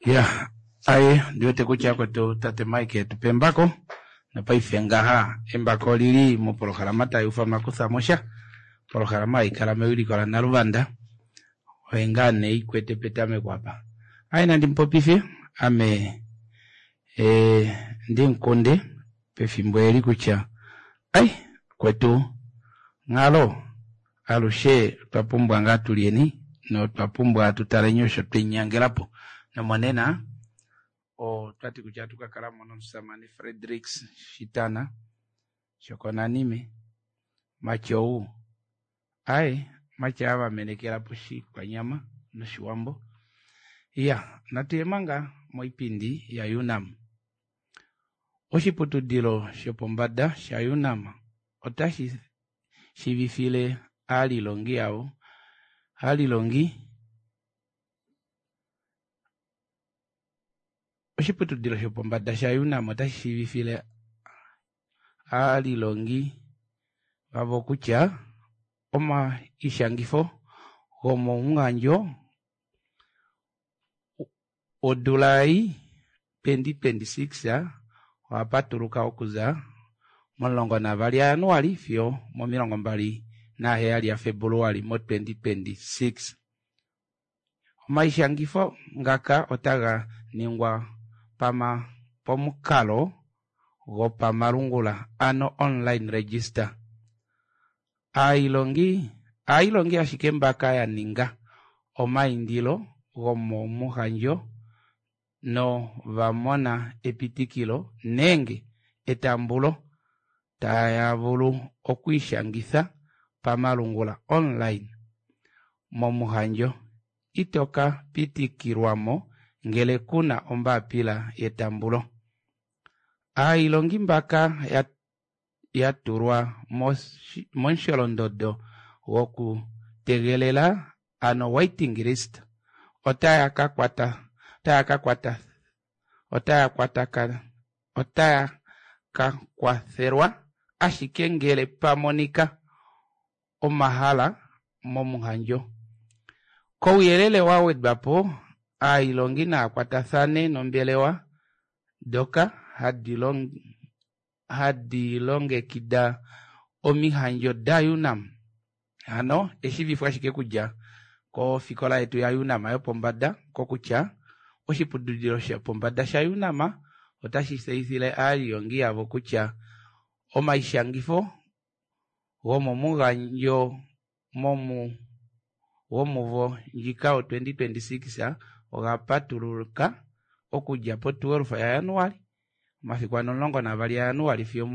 Ya, aye, ndi wete kutya kwetu tate Mike etu pa embako, nopaife ngaha embako olili mopolohalama tai ufanwa Kuthamo Sha, opolohalama hai kala mewiliko laNaluvanda, oye ngaa nee ikwete petameko apa. Aye nandi mupopife, ame eh, ndimukunde pefimbo eli kutya ai kwetu nghalo alushe otwa pumbwa ngaa tulyeni notwa pumbwa tutaleni osho twenyangelapo nomonena otwati kutya ohatu ka kalamo nomusamane Fredricks Shitana Shokonanime Matyou aye Matya ava menekela poshikwanyama noshiwambo. Iya, natu ye manga moipindi ya UNAM. Oshiputudilo shopombada sha UNAM otashi shivifile aalilongi yavo aalilongi Oshiputudilo shopombada sha UNAM otashi shivifile aalilongi vavo kutya omaishangifo gomomuhandjo odula ei 2026 oha patuluka okuza mo12 yaJanuali fiyo mo27 yaFebuluali mo 2026. Omaishangifo ngaka otaga ningwa pama pomukalo gopamalungula ano online register. Aailongi aailongi ashike mbaka ya ninga omaindilo gomomuhandjo nova mona epitikilo nenge etambulo taya vulu okwiishangitha pamalungula online momuhandjo. Ito ka pitikilwamo ngele kuna ombaapila yetambulo. Aailongi mbaka ya ya tulwa momusholondondo gokutegelela ano waiting list otaya ka kwata otaya ka kwata otaya kwataka otaya ka kwathelwa ashike ngele pa monika omahala momuhandjo. Kouyelele wa wedwa po, aailongi naa kwatathane nombelewa doka hadi hadi longekida omihandjo daUNAM. Hano eshivifo ashike kudja kofikola yetu yaUNAM yopombada kokutya oshiputudilo shopombada shaUNAM otashi tseyithile aalilongi yavo kutya omaishangifo gomomugandjo momu gomuvo ndjika o 2026 oga patuluka okudja po 12 yaJanuali omafiku ano 12 yaJanuali fiyo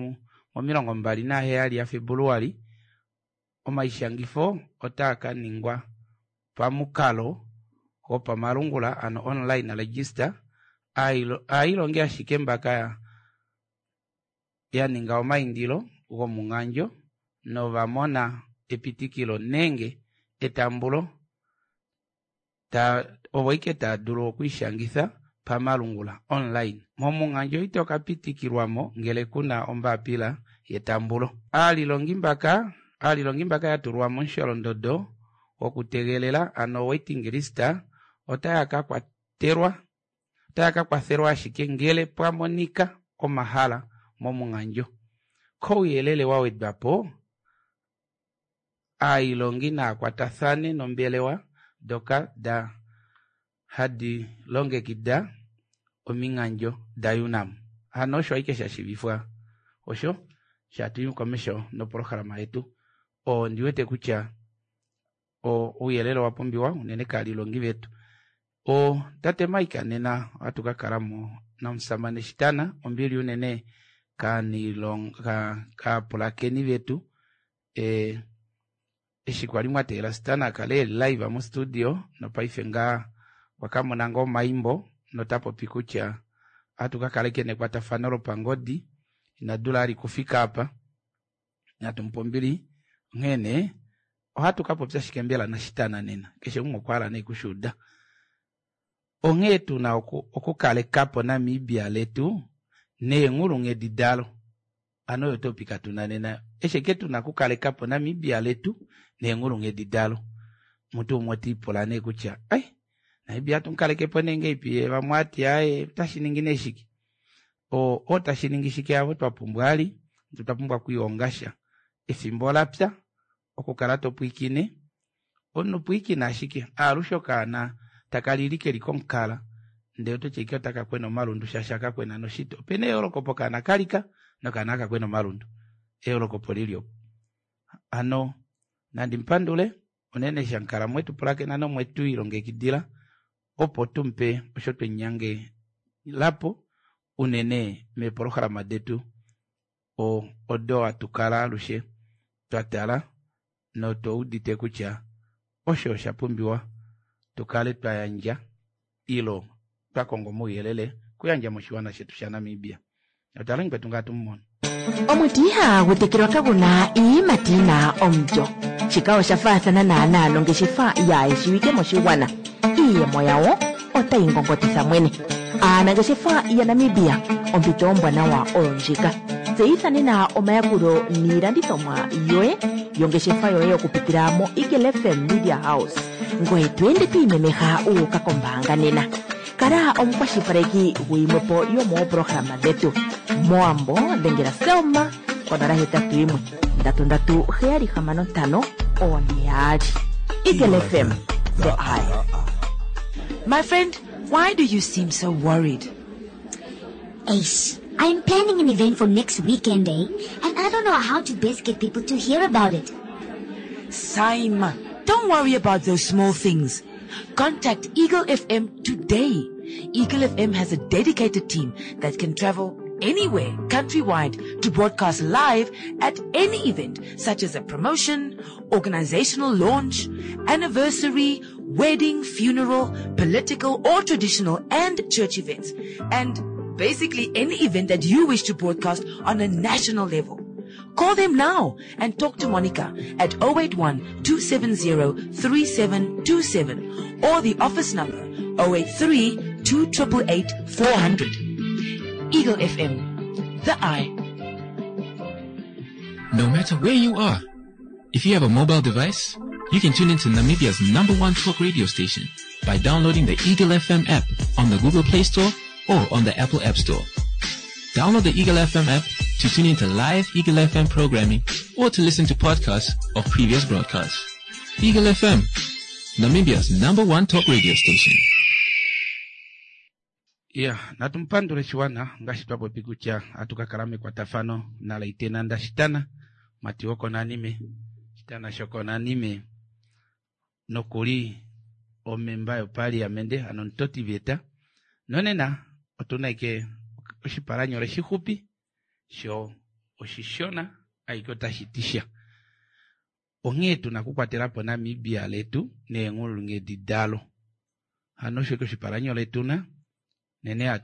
mo27 yaFebuluali omaishangifo otaa ka ningwa pamukalo gopamalungula ano online register aailongi ashike mbaka ya ninga omaindilo gomungandjo nova mona epitikilo nenge etambulo ta ovo ike taa dulu okwiishangitha pamalungula online. Momungandjo ito ka pitikilwamo ngele kuna ombaapila yetambulo. Aalilongi mbaka aalilongi mbaka ya tulwa momusholondondo gokutegelela ano waiting list otaya ka kwatelwa otaya ka kwathelwa ashike ngele pwa monika omahala momungandjo. Kouyelele wa wedwa po, aailongi naa kwatathane nombelewa doka da hadi longekida omingandjo daUNAM. Hano osho ashike sha shivifwa osho shatu komesho nopolohalama yetu. Ondi wete kutya ouyelele owa pumbiwa unene kaalilongi vetu. O tate Mike nena ohatu ka kalamo nomusamane Shitana ombili unene kaapulakeni vetu e, eshi kwali mwa teela Shitana a kale eli live mo studio nopaife ngaa okwa ka mona ngoo omaimbo nota popi kutya ohatu ka kala ike nekwatafano lopangodi ina dula ali kufika apa natu mupe ombili onghee nee ohatu ka popya shike mbela naShitana nena keshe umwe okwa hala nee kushuuda onghee tuna okukalekapo Namibia letu neenghulunghedi dalo ano oyo topic tuna nena eshi eke tuna okukalekapo Namibia letu neenghulunghedi dalo mutu umwe oti ipula nee kutya ai. Namibia atu mukaleke po nee ngeipi ye vamwe ati aaye otashi ningi nee shike o otashi ningi shike avo twa pumbwa ali twa pumbwa okwiihonga sha efimbo ola pya okukala to pwiikine omunhu pwiikina ashike aalushe okaana taka lili keli komukala ndee oto ti ashike otaka kwena omalundu shaashi aka kwena noshito. Opena eyooloko pokaana kalika nokaana aka kwena omalundu. Eyooloko opo lili opo. Hano nandi mupandule unene eshi amukala mwetu pulakena nomwetu ilongekidila opo tumupe osho twenyangelapo unene meepolohalama detu odo hatu kala alushe twa tala notwa udite kutya osho osha pumbiwa tu kale twa yandja ilo twa konga omauyelele kuyandja moshiwana shetu shaNamibia. Otwa kwetu ngaa tumumono. Omuti ihaagu tekelwa kagu na iiyimati yi na omulyo. Shika osha faathana naanaa nongeshefa yaayeshiwike moshigwana. Iiyemo yawo otayi ngongotitha mwene. Aanangeshefa yaNamibia, ompito ombwanawa oyo ndjika. Tseyitha nena omayakulo niilandithomwa yoye yongeshefa yoye okupitila moEagle FM Media House. Ngoye to ende to imemeha wu uka kombaanga nena. Kala omukwashilipaleki guyimwe po yomooprograma dhetu. Mowambo dhengela Selma konola hetatu yimwe ndatu ndatu heyali hamano ntano one yaali. Eagle FM, the eye. My friend, why do you seem so worried? Ace, I'm planning an event for next weekend, eh? And I don't know how to best get people to hear about it. Saima, don't worry about those small things. Contact Eagle FM today. Eagle FM has a dedicated team that can travel anywhere countrywide to broadcast live at any event such as a promotion, organizational launch, anniversary, wedding, funeral, political or traditional and church events, and basically any event that you wish to broadcast on a national level. Call them now and talk to Monica at 081 270 3727 or the office number 083 2888 400. Eagle FM, the eye. No matter where you are, if you have a mobile device, you can tune into Namibia's number one talk radio station by downloading the Eagle FM app on the Google Play Store or on the Apple App Store. Download the Eagle FM app to tune into live Eagle FM programming or to listen to podcasts of previous broadcasts. Eagle FM, Namibia's number one talk radio station. Ya, natumupandule shiwana ngaashi twa popi kutya ohatu ka kala mekwatafano naLaitenanda Shitana, mati wokonanime, Shitana shokonanime nokuli omemba yopaliamende ano omutotiveta. Nonena otuna ike oshipalanyole shixupi sho oshishona ashike otashi ti sha. Onghee tuna okukwatela po Namibia letu neenghulunghedi dalo. Hano osho ike oshipalanyole tuna nene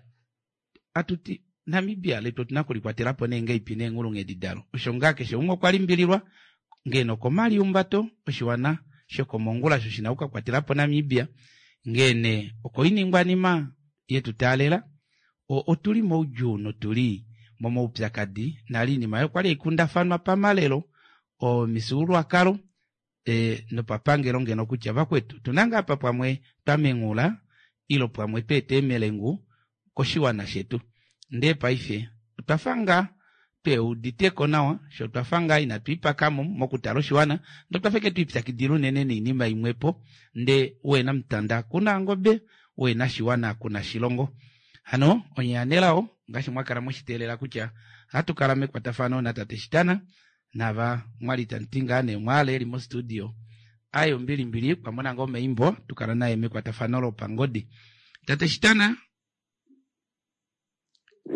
atuti Namibia letu otuna okulikwatela po nee ngeipi neenghulunghedi dalo. Osho ngaa keshe umwe okwa limbililwa ngeno okomaliumbato oshiwana shokomongula sho shina okukakwatela po Namibia ngene okoiningwanima yetu taalela otuli moudjuu notuli momaupyakadi nali inima oyo kwali haikundafanwa pamalelo omifyuululwakalo nopapangelo ngeno kutya vakwetu tuna ngaa apa pamwe twamengula ilo pamwe tweeta emelengu koshiwana shetu. Ndee paife otwafa ngaa tweuditeko nawa sho twafa ngaa inatu ipakamo mokutala oshiwana ndee otwafa ike twiipyakidila unene noinima imwepo ndee wena mutanda kuna ngobe wena shiwana kuna shilongo. Hano onye anelao ngaashi mwakala mweshiteelela kutya ohatu kala mekwatafano natate Shitana nava mwali tamuti ngaa nee mwaale eli mostudio aye ombilimbili kwamona ngoo omaimbo tukala naye mekwatafano lopangodi. Tate Shitana.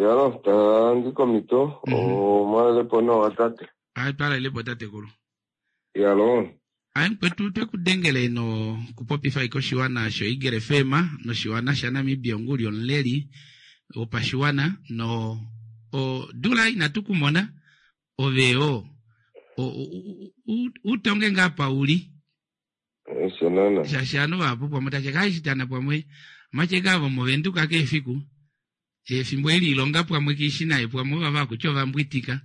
Yalo, tandi komito, omwalelepo nawa tate. Aye twalelepo tatekulu. Yalo. Aye mukwetu twekudengele no kupopifa ike oshiwana sho Eagle FM noshiwana shaNamibia onguli omuleli wopashiwana no odula inatu kumona ove yo utonge ngaa pauli. Osho nana. Shaashi ovanhu vahapu pamwe tashi ka shitana pamwe omacheka avo movenduka keefiku efimbo eli ilonga pamwe kiishi naye pamwe ovava kutya ovambwitika.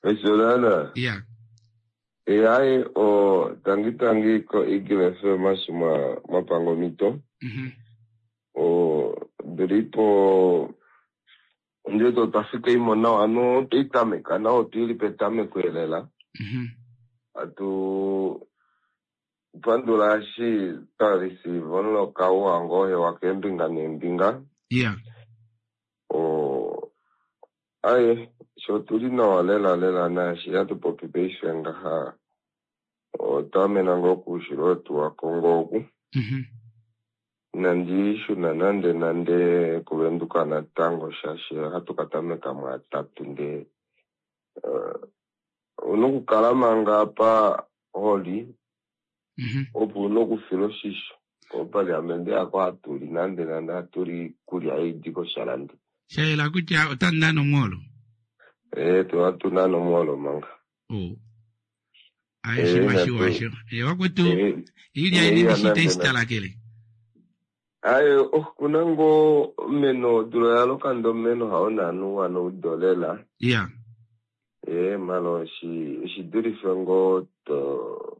Osho nana. Ya. Eaye o tangi tangi ko Eagle FM eshi mwapanga omhito. O ndilipo ndiwete otwa fika imo nawa hano otwaitameka nawa otwili petameko elela. Atu pandula eshi twa receive omuloka uwa ngoo hewa keembinga neembinga. O aye sho otuli nawa lela lela naashi hatu popi paife ngaha otwa amena ngoo koushilo wetu waKongo oku. Inandi shuna nande nande kuVenduka natango shaashi ohatu ka tameka muatatu ndee ouna okukala manga apa holi opo una okufila oshisho kopaliamende yako hatuli nande nande hatuli iikulya ei koshalandi. Sha yela kutya otamu nane omwoolo? Ee, ohatu nane omwoolo manga. Oh. Aye, shima shiwa sho. Wakwetu, iilya yeni ndishi itayi sitalakele? Aye, okuna ngoo omeno, odula oya loka ndee omeno hao naana uwa noudo lela. Ee, malo oshidulife ngoo to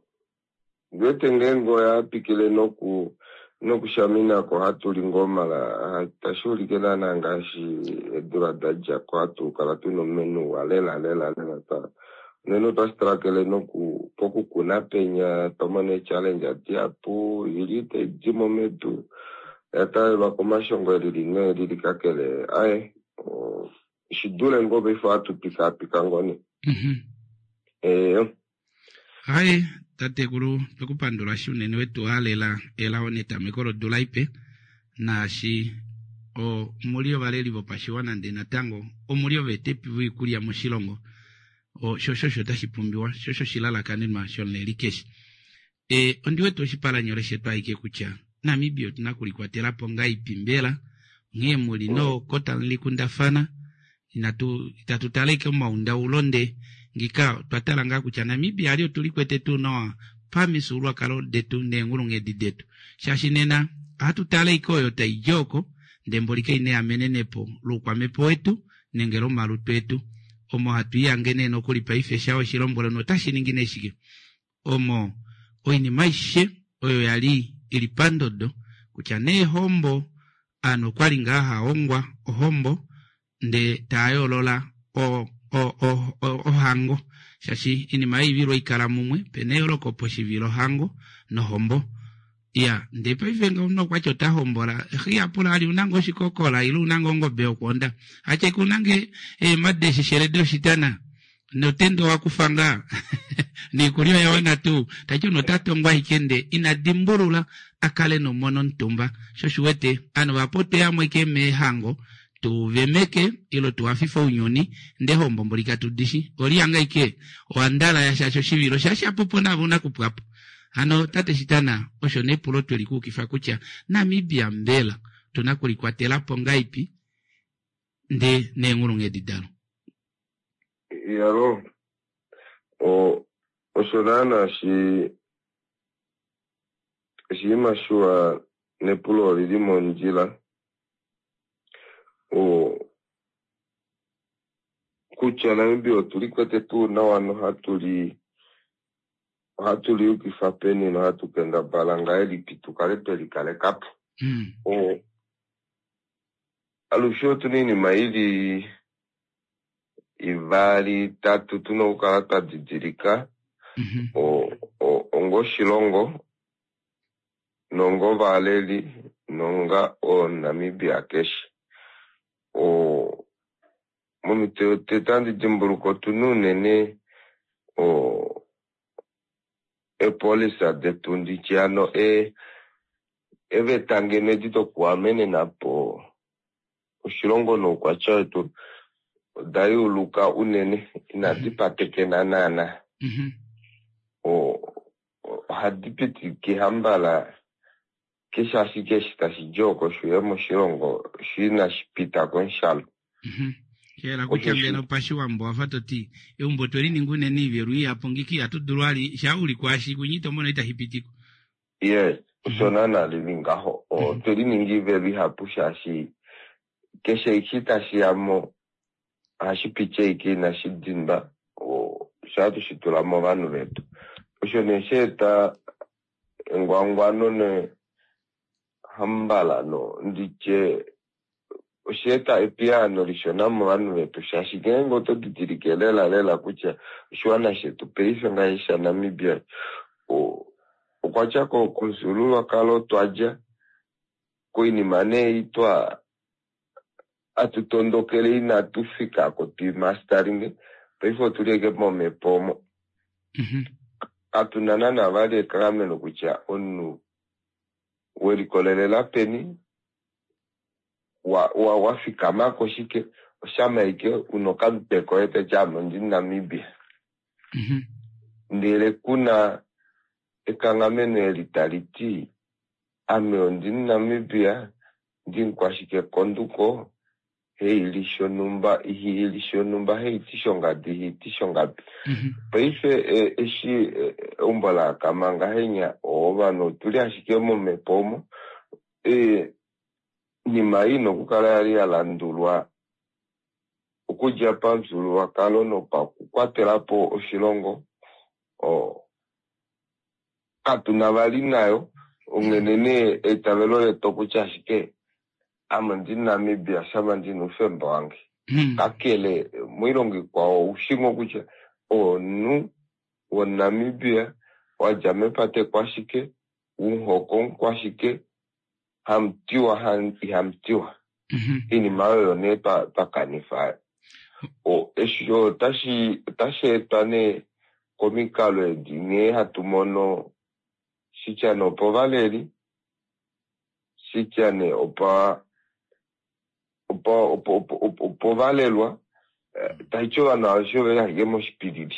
ndiwete ngeenge oya pikile noku nokushaminako ohatu li ngoo mala tashi ulike naana ngaashi eedula da dja ko hatu kala tuna omeno uwa lela lela lela twa unene otwa strakele noku pokukuna penya twamona eechallenge dihapu ili taidi mo medu oya taalelwa komashongo elili noelili kakele aye oshidule ngoo paife ohatu pikaapika ngoo nee. Ee. Aye, tatekulu, twekupandula shi unene wetu halela elao netameko lodula ipe, naashi omuli ovaleli vopashiwana ndee natango omuli oveetepi voikulya moshilongo, sho osho tashi pumbiwa, sho osho oshilalakanenwa shomuleli keshe. Ondi wete oshipalanyole shetu aike kutya Namibia otuna okulikwatela po ngaipi mbela, onghee muli noko tamu likundafana, inatu itatu tala ike omaundaulo nde ngika otwa tala ngaa kutya Namibia ali otuli kwete tuu nawa pamifyuululwakalo detu neenghulunghedi detu, shaashi nena ohatu tala ike oyo taidi oko ndee mboli kaina eamenenepo loukwamhepo wetu nenge lomalutu etu omo hatu ihange nee nokuli paife sha oshilombwelo notashi ningi nee shike omo oinima aishe oyo ya li i li pandodo kutya neehombo ovanhu okwali ngaa hahongwa ohombo ndee taa yoolola ohango shaashi oinima yoivilo oikala mumwe pena eyooloko poshivilohango nohombo. Iya, ndee paife nge omunhu okwati ota hombola, xiya pula ali una ngoo oshikokola ile una ngoo ongobe yokwoonda, atye ke una ngee eema desheshele doshitana notenda owa kufa ngaa noikulya oya wana tuu, tati omunhu ota tongwa ashike ndee ina dimbulula a kale nomona omutumba. Sho osho uwete ovanhu vahapu otwe yamo ashike meehango tu vemeke ile tu hafife ounyuni ndee hombo mboli katu dishi oliyanga ashike owandala ya shaashi oshivilo shashapupo nave una kupwapo. Hano tate Shitana osho nepulo tweli kuukifa kutya Namibia mbela otuna kulikwatela po ngaipi ndee neenghulunghedi dalo? Iyalo, osho naana shi oshinima shiwa nepulo olili mondjila kutya Namibia otuli kwete tuu nawa nohatu li ohatu liyukifa peni nohatu kendabala ngahelipi tu kale twe likaleka po. Alushe otu na oinima ili ivali itatu tuna okukala twa didilika onga oshilongo nonga ovaleli nonga oNamibia keshe. Momito yotete ohandi dimbuluka otuna unene eepolisa detu nditye hano eveta ngeno edi dokuamenena po oshilongo noukwatya wetu oda yuuluka unene inadi patekena naana. Ohadi pitike hambala keshe ashike eshi tashi di oko shuye moshilongo sho inashi pita komushalo. Shayela kutya ngeno pashiwambo wafa toti eumbo otwe lininga unene oivelo ihapu ngiki ihatu dulu vali shaa uli kwaashi kwinya ito mono itashi pitikwa. Yes, osho naana lili ngaho. Otwe lininga oivelo ihapu shaashi keshe eshi tashi ya mo ohashi piti ashike inashi dindwa. Sha tushi tula movanhu vetu. Osho nee sha eta engwangwano ne hambalano nditye osha eta epiyaano lishona movanhu vetu shaashi ngeenge oto didilike lela lela kutya oshiwana shetu paife ngaashi shaNamibia okwa tya komufyuululwakalo twadja koinima nee twa atutondokele inatu fikako twimastaringe paife otuli eke momhepo omo. Katuna naana vali ekanghameno kutya omunhu welikolelela peni wa fikama koshike oshama ike una okamutwe koye toti ame ondi Namibia. Ndele kuna ekanghameno eli tali ti ame ondi Namibia ndimukwashike konduko heili shonumba ihiili shonumba heiti shongadi heiti shongapi. Paife eshi eumbo laakama ngahenya ovanhu otuli ashike momhepo omo nima ina okukala yali ya landulwa okudja pamufyuululwakalo nopakukwatelapo oshilongo katuna vali nayo onghene nee eitavelo letu okutya ashike ame ondi Namibia shama ndina oufemba wange. Kakele moilongo ikwao oushi ngoo kutya omunhu woNamibia wadja mepate kwashike umuhoko kwashike hamutiwa ihamutiwa. Iinima oyo nee twakanifa. Eshi otashi etwa nee komikalo edi nghee hatu mono shitya nee opovaleli shitya nee opovalelwa taiti ovanhu aveshe oveli ashike moshipilili.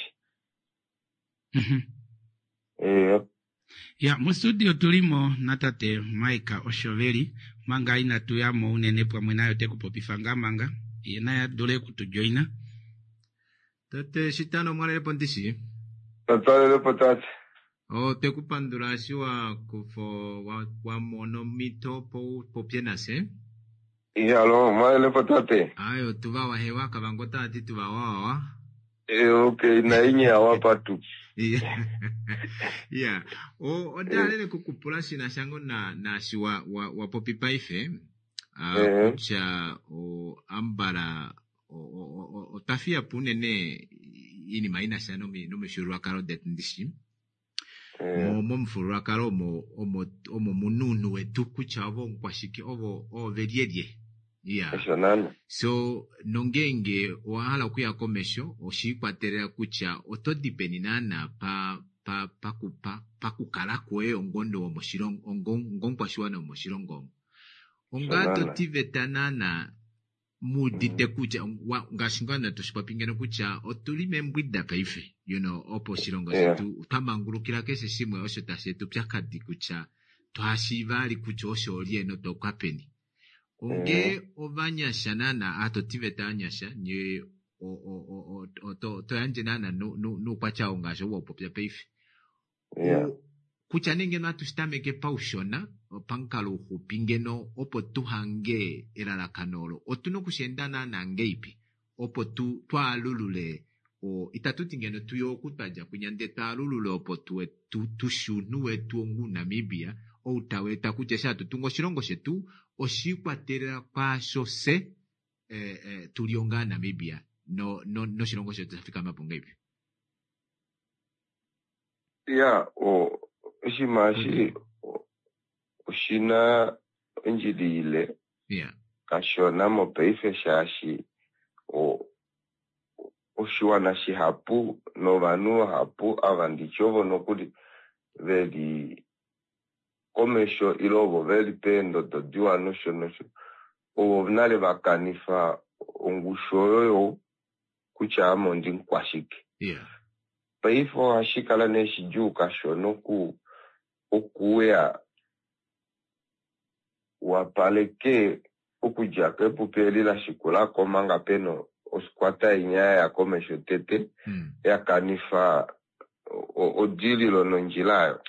Ya mostudio tulimo natate Mike Oshoveli manga inatu yamo unene pamwe naye ote kupopifa ngaa manga ye naye adule okutujoina. Tate Shitano mwalelepo ndishi? Twalelepo tate. Otwe kupandula eshi wakufo wamona omhito opo upopye nafye. Iyalo mwalelepo tate. Ayo tuva wahewa Kavango tati tuva wawawa. Okay nainye awapa tu. Yeah. Onda halele kukupula shina shango naashi wapopi paife kutya ambala otwa fiyapo unene iinima inasha nomifyuululwakalo detu ndishi. Momufyuululwakalo omo muna ounhu wetu kutya ovo omukwashike ovo ovelyelye. Yeah. So nongenge owahala okuya komesho oshiikwatelela kutya oto di peni naana pakukala kwoye ongomunhu womoshilongo ongomukwashiwana womoshilongo omo. Onga totiveta naana muudite kutya ngaashi ngaa toshipopi ngeno kutya otuli membwida paife opo oshilongo shetu twamangulukila keshe shimwe osho tashi eta upyakadi kutya twashiiva ali kutya osho olye notwauka peni. Onge ovanyasha naana atotiveta anyasha nye toyandje naana nuukwatya oo ngaashi ou waupopya paife. Kutya nee ngeno atushi tameke paushona pamukalo uxupi ngeno opo tuhange elalakano olo otuna okusheenda naana ngeipi opo twaalulule itatuti ngeno tuye oku twadja kwinya ndele twaalulule opo tushi ounhu wetu onga Namibia ou taweeta kutya eshi hatu tungu oshilongo shetu oshiikwatelela kwaasho fye tuli onga Namibia noshilongo shetu shafikama po ngeipi. Ya oshinima eshi oshina ondjila ile kashona mopaife shaashi oshiwana shihapu novanhu vahapu ava nditye ovo nokuli veli komesho ile ovo veli peendodo diwa nosho nosho ovo nale vakanifa ongushu oyo kutya ame ondimukwashike. Paife ohashi kala nee shidjuu kashona okuuya wapaleke okudja kepupi eli lashikulako omanga pena oskwata inya yaya komesho tete yakanifa odililo nondjila ayo.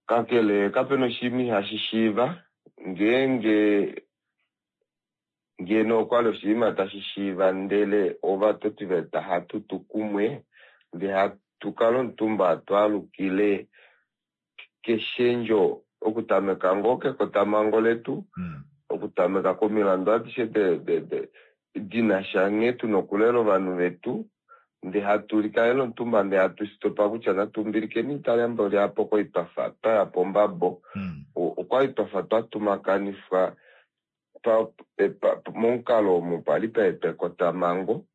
Kakele kapena oshinima ihashi shiiva ngeenge ngeno okwali oshinima tashi shiiva ndele ovatotiveta hatutu kumwe Ndee hatu kala omutumba twaalukile keshendjo okutameka ngoo kekotamhango letu, okutameka komilandu adishe dina sha nghee tuna okulela ovanhu vetu, ndee hatu likalele omutumba ndee hatu sitopa kutya natu mbilikeni italembo lyapo kwali twafa twaya pombabo. Okwali twafa twatumakanifwa momukalo omo pali paetwa ekotamhango.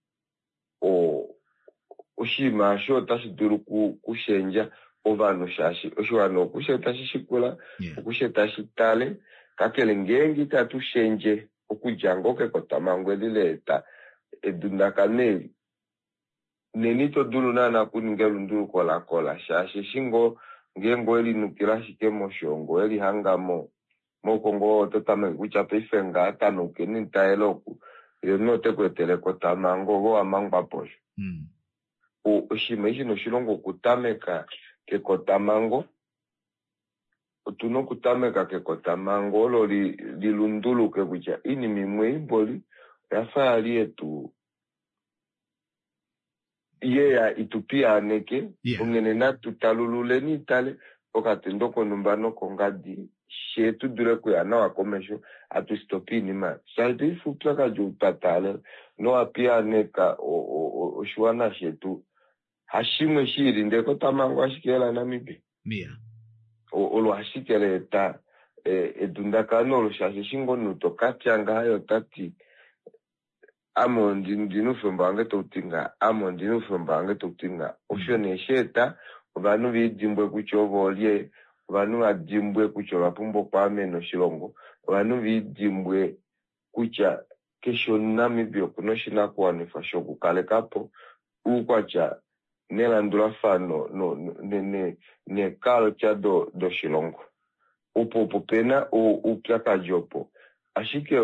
Oshinima osho otashi dulu kushendja ovanhu shaashi oshiwana okushe tashi shikula, okushe tashi tale, kakele ngeenge itatu shendje okudja ngoo kekotamhango eli laeta edundakano eli, nena ito dulu naana okuninga elunduluko lakola shaashi eshi ngoo ngeenge owelinukila ashike moshongo welihanga moukongo oto tameke kutya paife ngaa tanaukeni nitayele oku ye omunhu ote ku etele ekotamhango ove owamangwa posho. Oshinima eshi noshilongo okutameka kekotamhango, otuna okutameka kekotamhango olo lilunduluke kutya oinima imwe imboli oyafa yali yetu yeya itupiyaaneke, onghene natu talululeni itale pokatendo konhumba nokongadi shee tudule okuya nawa komesho hatu sitopa oinima shaashi paife oupyakadi ou twa taalela nowapiyaaneka oshiwana shetu hashimwe shiili ndee ekotamhango ashike laNamibia olo ashike laeta edundakano olo shaashi eshi ngoo omunhu tokatya ngaha ye otati ame ondina oufemba wange tauti ngaha, ame ondina oufemba wange tauti ngaha. Osho nee shaeta ovanhu velidimbwe kutya ovo olye, ovanhu vadimbwe kutya ova pumbwa okwaamena oshilongo, ovanhu velidimbwe kutya keshe omuNamibia okuna oshinakuwanifwa shokukalekapo oukwatya nelandulafano neeculture doshilongo. Opo opo pena oupyakadi opo. Ashike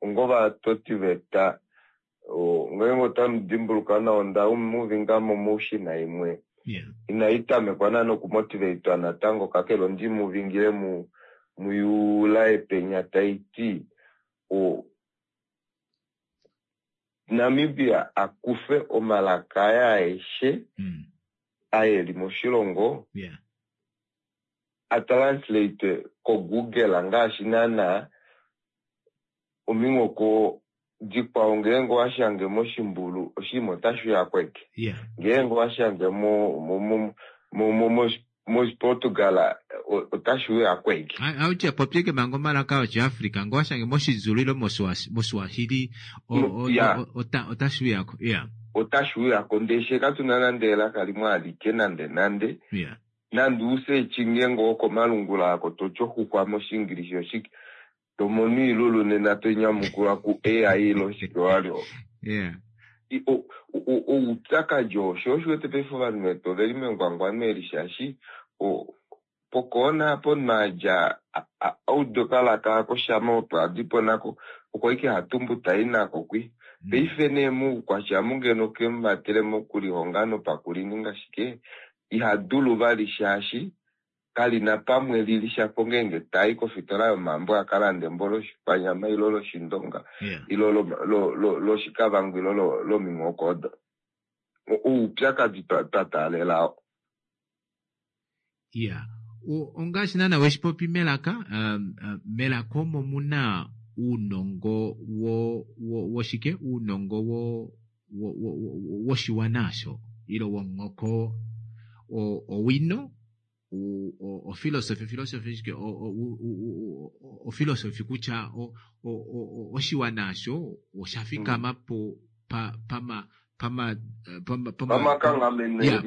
ongovatotiveta ngeenge otamu dimbuluka nawa onda muvingamo moushina imwe inai tamekwa naana okumotivatwa natango kakele ondimuvingile muyula epenya taiti Namibia akufe omalaka aye aeshe aeli moshilongo atranslate koGoogle ngaashi naana ominghoko dikwao ngeenge owashange moshimbulu oshinima otashi uya kweke. Ngeenge owashange moshiPortugal otashi uya kweke. Autya popyeke manga omalaka oshiAfrica ngee owashange mOshizulu ile mOswahili otashi uyako. Otashi uyako ndee she katuna nande elaka limwe alike nande nande. Nande usearch ngeenge okomalungula ako toti oxuxwa mOshiingilishi oshike tomono oilulu nena tonyamukula ku AI ile oshike walyo. Oupyakadi oo sho osho wete paife ovanhu vetu oveli mengwangwano eli shaashi pokoona apo omunhu adja auda okalaka ako shama opo adipo nako oko ashike hatumbu tai nako kwi. Paife nee moukwatya amu ngeno kemuvatele mokulihonga nopakulininga shike iha dulu vali shaashi kalina pamwe lili shapo ngeenge tai kofitola yomambo akalande embo loshikwanyama ile loshindonga ile loshikavango ile lominghoko odo. Oupyakadi twa taalela. Iya, ongaashi naana weshipopi melaka, melaka omo muna uunongo woshike, uunongo woshiwana osho ile womuhoko, owino, ofilosofi, filosofi shike, ofilosofi kutya oshiwana osho osha fikama po pama pamakanghameno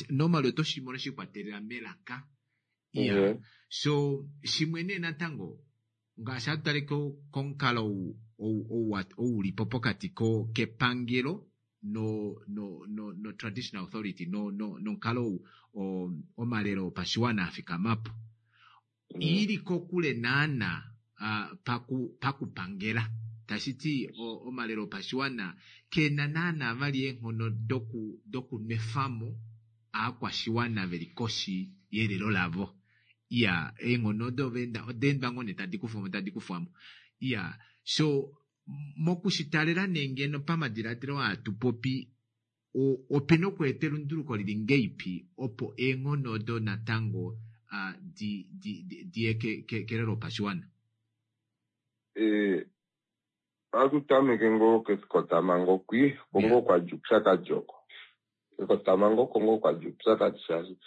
normally oto shi mono shiikwatelela melaka. Iya, so shimwe nee natango ngaashi hatu tale komukalo ou ulipo pokati kepangelo no no traditional authority nomukalo ou omalelo opashiwana afikamapo ili kokule naana pakupangela tashiti omalelo opashiwana kena naana vali eenghono dokunwefamo aakwashiwana veli koshi yelelo lavo. Iya, eenghono odo oda endwa ngoo nee tadi kufwamo tadi kufwamo. Iya, so. Mokushitalela nee ngeno pamadiladilo aa tu popi, opena okweeta elunduluko lili ngeipi opo eenghono odo natango di diye kelelo lopashiwana? Ohatu tameke ngoo kekotamhango kwi, oko ngoo kwa dja oupyakadi oko. Kekotamhango oko ngoo kwa dja oupyakadi shaashi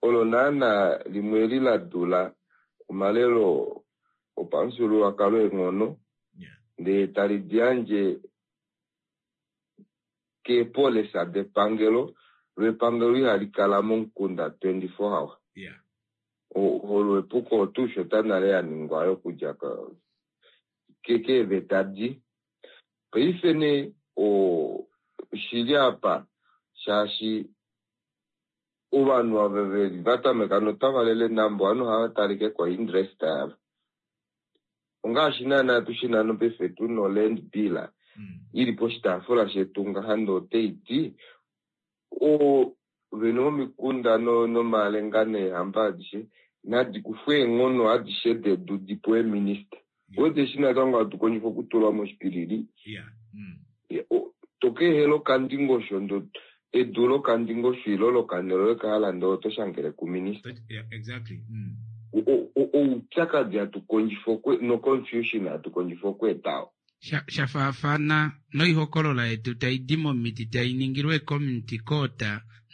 olo naana limwe eli la dula omalelo opamufyuululwakalo eenghono ndee tali di yandje keepolisa depangelo, lo epangelo ihali kala momukunda 24 hour. Olo epuko tuu shota nale ya ningwa yokudja keeveta di. Paife nee oshili apa shaashi ovanhu ava veli va tameka notava lele nambo ovanhu ohava talike ko interest yavo. Ongaashi naana tushina nopaife tuna o-land bill ili poshitaafula shetu ngaha ndee otaiti ovene vomikunda nomalenga neehamba adishe nadi kufwe eenghono adishe dedu dipewe minista. Wete eshi natango hatu kondjifa okutulwa moshipilili. Tokeehela okandingosho ndo edu lokandingosho ilo lokanelo lekahala ndee oto shangele kuminista. Oupyakadi hatu kondjifa no-confusion hatu kondjifa okweeta oo. Sha faafana noihokolola yetu tai di momiti tai ningilwa e-community court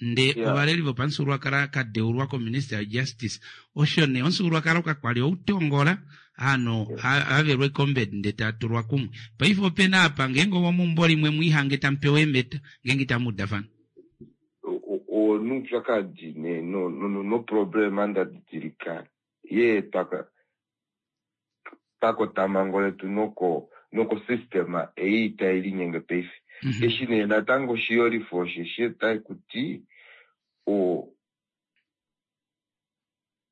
ndee ovaleli vopamufyuululwakalo ka deulwa kominister ya justice. Osho nee omufyuululwakalo kakwali outongola hano havelwa ekombed ndee taa tulwa kumwe. Paife opena apa ngeenge ovomeumbo limwe mwiihange tamu pewa eemeta ngeenge itamu udafana. Onoupyakadi nee noproblema nda didilika yeetwa pakotamhango letu noko noko system ei tai linyenge paife. Eshi nee natango shiyolifo osheshi otai kuti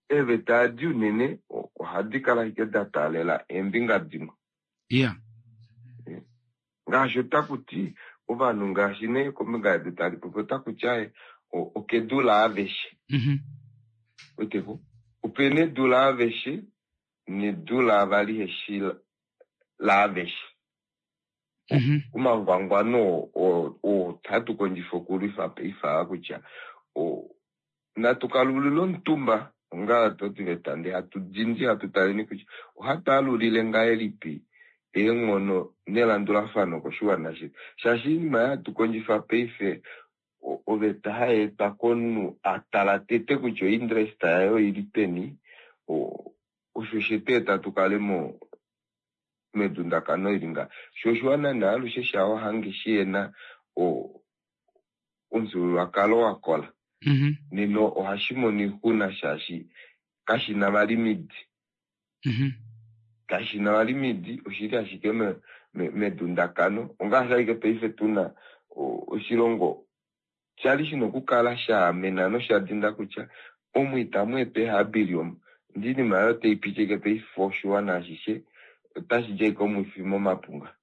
eeveta adi unene ohadi kala ashike da taalela eembinga dimwe. Ngaashi otakuti ovanhu ngaashi nee kombinga yedu tali popi otakuti aye okedu laaveshe. Weteko opena edu laaveshe nedu laavali heshi laaveshe. Omangwangwano oo hatu kondjifa okulwifa paife aa kutya natu kalulile omutumba onga totiveta ndee hatu dindi hatu taleni kutya ohatu alulile ngahelipi eenghono nelandulafano koshiwana shetu. Shaashi oinima hatu kondjifa paife oveta hayeetwa komunhu atala tete kutya ointerest yaye oili peni, osho shetu eta tukale medundakano ili nga. Sho oshiwana nee alushe shawo hange shihena omufyuululwakalo wakola. Nena ohashi mono oixuna shaashi kashina vali midi. Kashina vali midi, oshili ashike medundakano. Ongaashi ashike paife tuna oshilongo shali shina okukala shaamena nosha dinda kutya omu itamu etwa ehabili omu. Ndee oinima oyo tai pitike paife oshiwana ashishe otashi di ashike omwifi momapunga.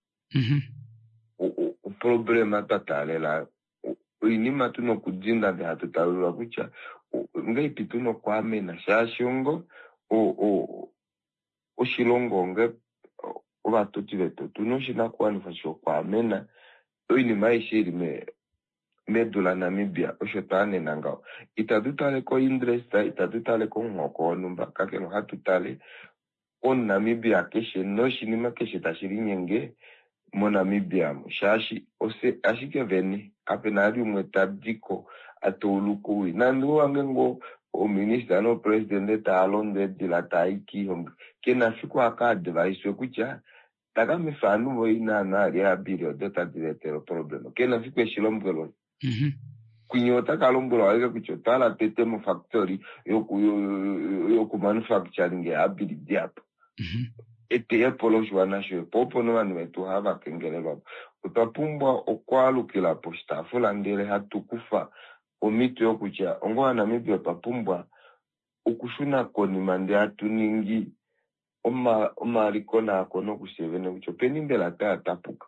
Oproblema twa taalela oinima tuna okudinda ndee hatu talulula kutya ongahelipi tuna okwaamena shaashi ongo oshilongo onge ovatoti vetu otuna oshinakuwanifwa shokwaamena oinima aishe ili medu laNamibia osho twaanena ngaho. Itatu tale ko-interest, itatu tale komuhoko wonhumba, kakele ohatu tale omuNamibia keshe noshinima keshe tashi linyenge moNamibia shaashi ofye ashike vene kapena vali umwe tadiko atouluka owii. Nande owange ngoo ominista nopresidente taa londo eedila taai kiihongi kena fiku aka adviswe kutya takamifa ovanhu voye naana ali ehabili odo tadi va etele oproblema. Kena fiku eshi lombwelwa. Kwinya otaka lombwelwa ashike kutya otwa hala twete mofactory yoku manufacturing ehabili dihapu. Eteyepo loshiwana shoye po opo novanhu vetu hava kengelelwa. Otwa pumbwa okwaalukila poshitaafula ndele hatu kufa omhito yokutya onga ovaNamibia otwa pumbwa okushuna konima ndee hatu ningi omalikonaakono kufye vene kutya openi mbela taya tapuka.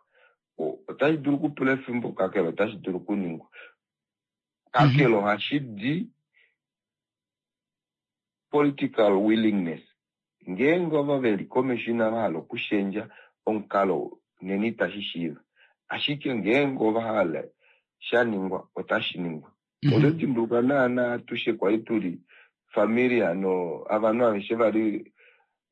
Otashi dulu okupula efimbo kakele otashi dulu okuningwa. Kakele ohashi di political willingness. Ngeenge ovo veli komesho inava hala okushendja omukalo Nena itashi shiiva. Ashike ngeenge ova hala sha ningwa, otashi ningwa. Oto dimbuluka naana atushe kwali tuli familia no avanhu aveshe vali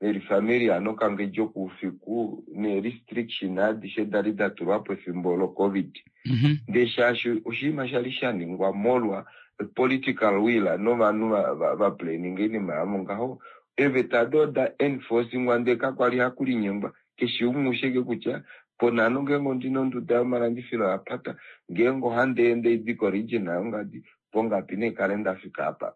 veli familia nokangedjo koufiku nee restriction adishe dali da tulwapo efimbo lo Covid. Ndee shaashi oshinima shali sha ningwa molwa political will novanhu va planninga oinima yavo ngaho, eeveta ado oda enforcingwa ndee kakwali hakulinyengwa. Keshe umwe usheke kutya ponhano ngeenge ondina onduda yomalandifilo ya pata, ngeenge ohandi ende idi koregion yongadi, pongapi nee kale nda fika apa.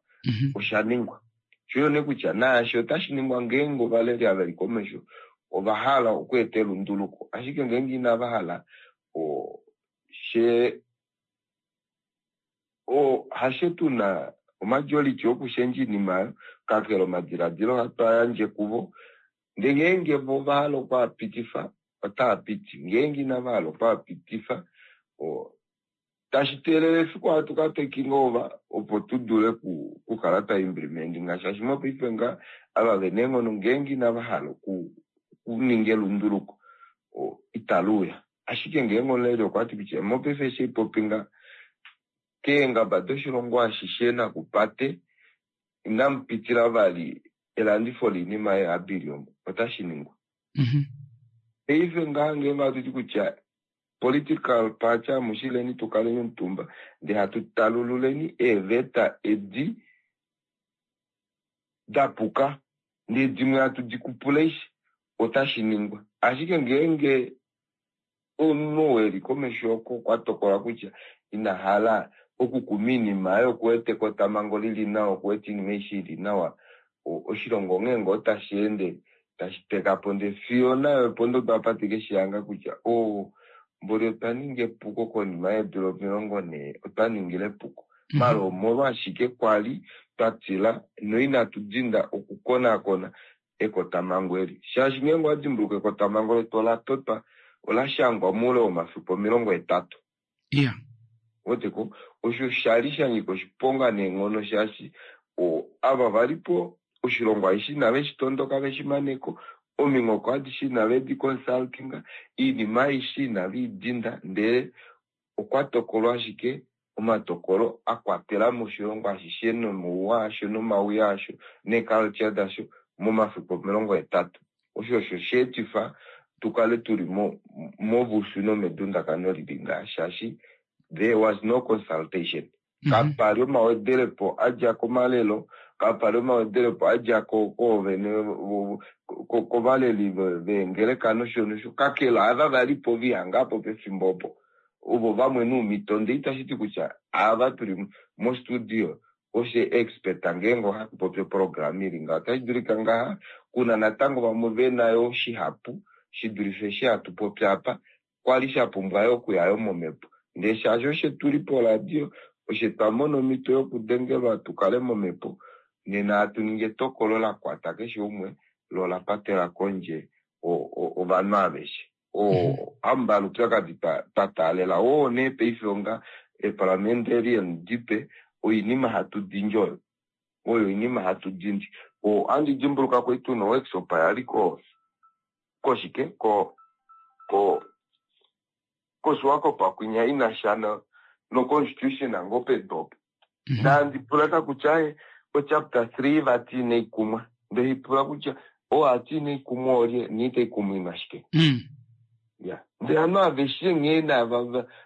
Osha ningwa. Sho nee kutya naashi otashi ningwa ngeenge ovaleli ava veli komesho ova hala okweeta elunduluko, ashike ngeenge inava hala, she hashe tu na omajority okushendja oinima oyo, kakele omadiladilo ohatu a yandje kuvo, ndee ngeenge vo ova hala okwaapitifa, otaa piti, ngeenge inava hala okwaapitifa, tashi teelele efiku hatu ka taking over opo tu dule okukala twa implementinga, shaashi mopaife nga ava vena eenghono ngeenge inava hala okuninga elunduluko itali uya. Ashike ngeenge omuleli okwa ti kutya mopaife eshi haipopi nga keengaba doshilongo ashishe nakupate inamu pitila vali elandifo loinima yeeabiliom, otashi ningwa. Paife ngaha ngeenge ohatu ti kutya political party amushileni tu kaleni omutumba ndee hatu talululeni eeveta edi da puka ndee dimwe hatu di kupula eshi, otashi ningwa. Ashike ngeenge omunhu oo eli komesho oko okwa tokola kutya ina hala okukuma oinima oyo, okuwete ekotamhango lili nawa, okuwete oinima aishe ili nawa, oshilongo onghee ngoo tashi ende tashi teka po ndee fiyo nayo pondodo apa te ke shi hanga kutya o, mboli otwa ninga epuko konima yeedula 40, otwa ningila epuko. Mala omolwashike kwa li twa tila noinatu dinda okukonakona ekotamhango eli? Shaashi ngeenge owa dimbuluka ekotamhango letu ola totwa, ola shangwa moule womafiku 80. Weteko, osho sha li sha nyika oshiponga neenghono shaashi ava va li po oshilongo aishe inave shi tondoka ve shi mane ko, ominghoko adishe inave di consultinga, oinima aishe inave i dinda, ndele okwa tokolwa ashike omatokolo a kwatela mo oshilongo ashishe nomauwa asho nomawii asho neeculture dasho momafiku 80. Osho osho sha etifa tu kale tu li movushu nomedundakano li li ngaha, shaashi there was no consultation. Kapa li omawedelepo a dja komalelo, kapa li omawedelepo a dja koovene, kovaleli veengeleka nosho nosho, kakele ava va li po vihanga po pefimbo opo, ovo vamwe nuumhito. Ndee itashi ti kutya ava tu li mostudio oshe expert ngeenge ohatu popi oprograma ili ngaho. Otashi dulika ngaha kuna natango vamwe ve na yo shihapu shi dulife eshi hatu popi apa, kwa li sha pumbwa yo okuya yo momhepo. Ndee shaashi oshe tu li poradio, oshe twa mona omhito yokudengelwa tu kale momhepo, nena hatu ningi etokolo la kwata keshe umwe lo la patela kondje ovanhu aveshe. Hamumbala oupyakadi twa taalela oo nee paife onga eparliamentarian dipe, oinima hatu dindi oyo. Oyo oinima hatu dindi. Ohandi dimbuluka kwali tuna oworkshop ya li ko koshike ko ko koSwakop kwinya ina sha no constitution ngoo pedu opo. Ndandi pula ka kutya o chapter 3 vati inai kumwa. Nde pula kutya o ati inai kumwa olye niitai kumwa ina shike. Ya. Ndee ovanhu aveshe nghee na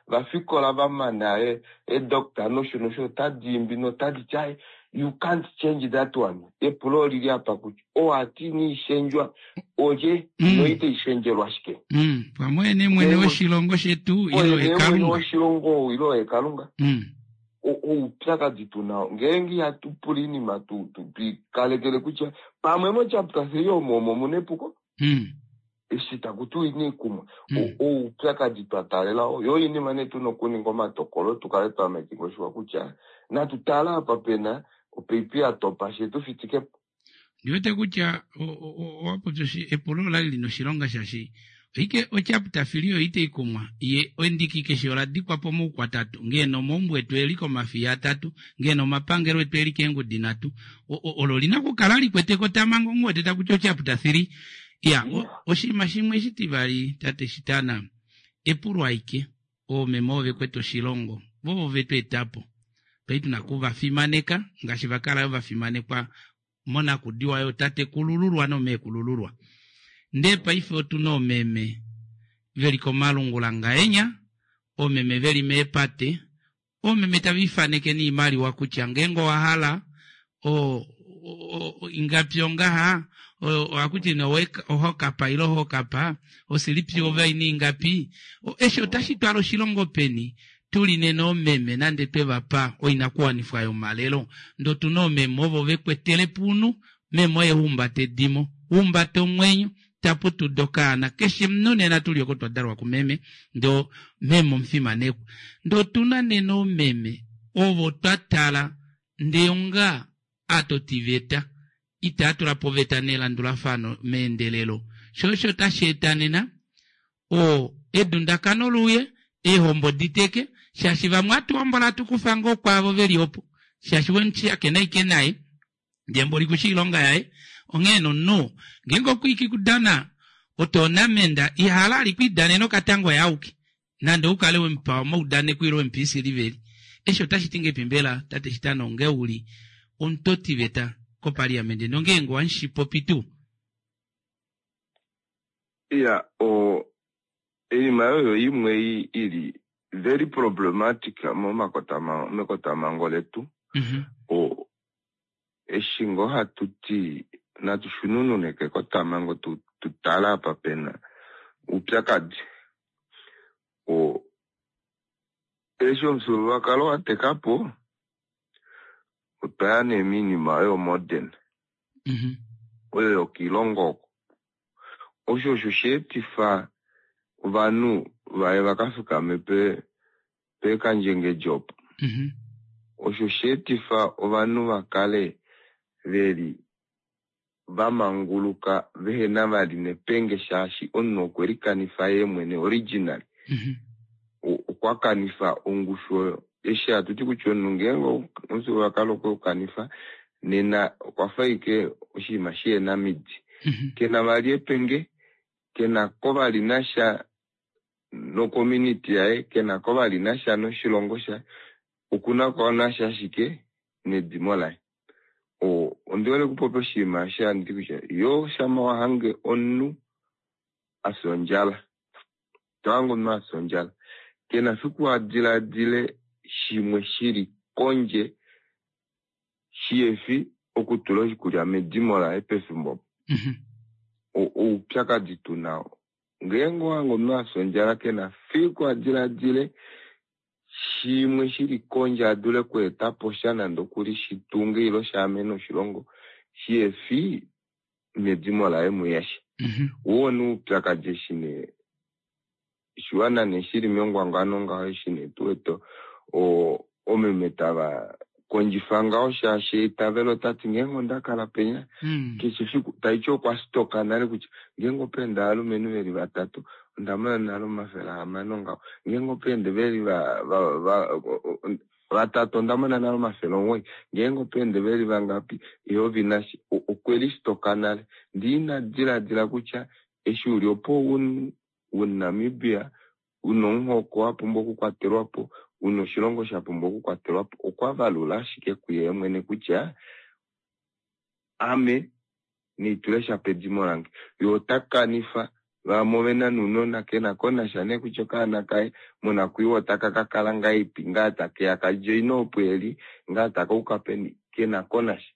vafikola va mana edoctor nosho nosho otadi imbi notadi ti aye you can't change that one. Epulo olili apa kutya o ati inai shendjwa olye noitai shendjelwa shike. Pamwe nee mwene woshilongo shetu ile oye Kalunga. Mwene woshilongo ile oye Kalunga. Oupyakadi tu nao ngeenge ihatu pula oinima tuikalekele kutya pamwe mo chapter 3 omo omo muna epuko. Eshi taku tiwa inai kumwa, oupyakadi twa taalela oo. Yo oinima nee tu na okuninga omatokolo tu kale twa making sure kutya natu tale apa pe na opaipi ya topa she tu fitike po. Ndi wete kutya owa popya epulo ola li li na oshilonga shaashi oike ochapter 3 oyo itai kumwa, ye endiki keshe ola dikwa po moukwatatu, ngeeno omaumbo etu e li komafiya atatu, ngeeno omapangelo etu e li keengudi nhatu, olo oli na okukala li kwete ekotamhango, nghi wete taku ti ochapter 3. Ya, oshinima shimwe shitivali tate Shitana, epulo aike, oomeme ove kwete oshilongo, vo ovo vetu etapo. Paife tuna kuvafimaneka ngaashi va kala yo vafimanekwa monakudiwa yootatekulululwa nomeekulululwa. Ndee paife otuna oomeme veli komalungula ngaenya, oomeme veli meepate, oomeme tava ifaneke niimaliwa kutya ngeenge owa hala o, ingapi ongaha, ohakuti ne ohokapa ile ohokapa, osilipi ove aina ingapi. Eshi otashi twala oshilongo peni? Tuli nena oomeme nande twe va pa oinakuwanifwa yomalelo, ndee otuna oomeme ovo vekwetele puunhu, meme oye humbata edimo, humbata omwenyo, taputuda okaana. Keshe omunhu nena tuli oko twa dalwa kumeme, ndee meme omufimanekwa. Ndee otuna nena oomeme ovo twa tala ndee onga aatotiveta itaa tula po oveta nelandulafano meendelelo. Sho osho tashi eta nena o edundakano luuye, eehombo diteke, shaashi vamwe atu hombola atu kufa ngoo kwaavo veli opo, shaashi wemushakena ike naye, ndee mboli kushi oilonga yaye. Onghee nomunhu ngeenge okwiiki kudana otoonamenda ihala ali kwiidanena okatango oye auke, nande oukale wemupa omaudaneko ile wemupa isiliveli. Eshi otashi ti ngepi mbela tate Shitana onge uli omutotiveta kopaliamende nongeenge owamushipopi tuu? Iya, o oinima oyo imwe ili very problematic mekotamhango letu. O eshi ngoo hatu ti natu shununune kekotamhango tu tale apa pena oupyakadi. O eshi omufyuululwakalo wa teka po, otwa ya nee moinima oyo modern, oyo yokoilongo oko. Osho osho sha etifa ovanhu vaye vakafikame peekandjengedji opo. Osho sha etifa ovanhu vakale veli vamanguluka vehena vali nepenge shaashi omunhu okwe likanifa yee mwene originally. Okwa kanifa ongushu oyo. Eshi hatu ti kutya omunhu ngeenge omufyuululwakalo okwe ukanifa nena okwa fa ashike oshinima shihena midi. Kena vali epenge, kena ko vali nasha nocommunity yaye, kena ko vali nasha noshilongo shaye, okuna ko nasha ashike nedimo laye. Ondi hole okupopya oshinima eshi handi ti kutya yo shama wa hange omunhu a fya ondjala, to hange omunhu a fya ondjala, kena fiku a diladile shimwe shili kondje shihefi okutula oshikulya medimo laye pefimbo opo. Oupyakadi tu nao. Ngeenge owa hange omunhu a fya ondjala, kena fiku a diladile shimwe shili kondje a dule okweeta po sha nande okuli shitunge ile shaamene oshilongo shihefi medimo laye muyeshe. Woo nee oupyakadi eshi nee oshiwana nee shili mengwangwano ngaho eshi nee tu wete omeme tava kondjifa ngaho shaashi eitavelo otati ngeenge onda kala penya keshe fiku taiti okwa stoka nale kutya ngeenge opa enda ovalumenhu veli vatatu onda mona nale 600 ngaho, ngeenge opa ende veli vatatu onda mona nale 900, ngeenge opa ende veli vangapi eyovi nashi okwe listoka nale. Ndee ina diladila kutya eshi uli opo uNamibia una omuhoko wa pumbwa okukwatelwa po, una oshilongo sha pumbwa okukwatelwa po, okwa valula ashike kuye mwene kutya ame neitule sha pedimo lange. Ye ota kanifa vamwe ovena nounona kena ko nasha nee kutya okaana kaye monakwiiwa otaka ka kala ngahelipi, ngaa takeya ka joine opo eli, ngaa taka uka peni, kena ko nasha.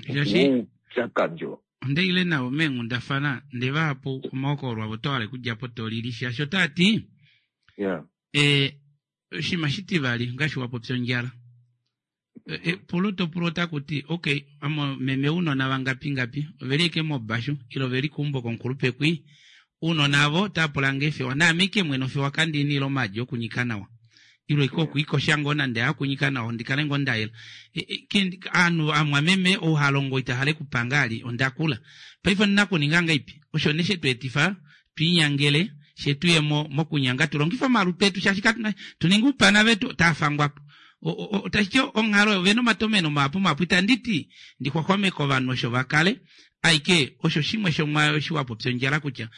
Oupyakadi oo. Onda ile navo meenghundafana ndee vahapu omahokololo avo oto hala okudja po to lili shaashi otaa ti oshinima shitivali ngaashi wa popya ondjala. Epulo to pula otaku ti okay, amo meme ounona vangapi ngapi oveli eke mobashu ile oveli keumbo komukulupe kwi ounona avo otava pula nge fewa naame ike mwene ofewa kandini ile omaadi okunyika nawa ile ike okwiikosha ngoo nande hakunyika nawa ndi kale ngoo ndayela. Aanhu amwameme ou ha longo ita hale kupanga ali onda kula paife ondina kuninga ngaipi osho nee shetu etifa twiinyangele she tuye mokunyanga tu longife omalutu etu shaashi katuna tu ninge oupana vetu otaa fangwa po. Otashi ti onghalo ovena omatomeno mahapu mahapu itandi ti ndi xwaxwameke ovanhu osho va kale. Aike osho shimwe shomwaayo eshi wa popya ondjala kutya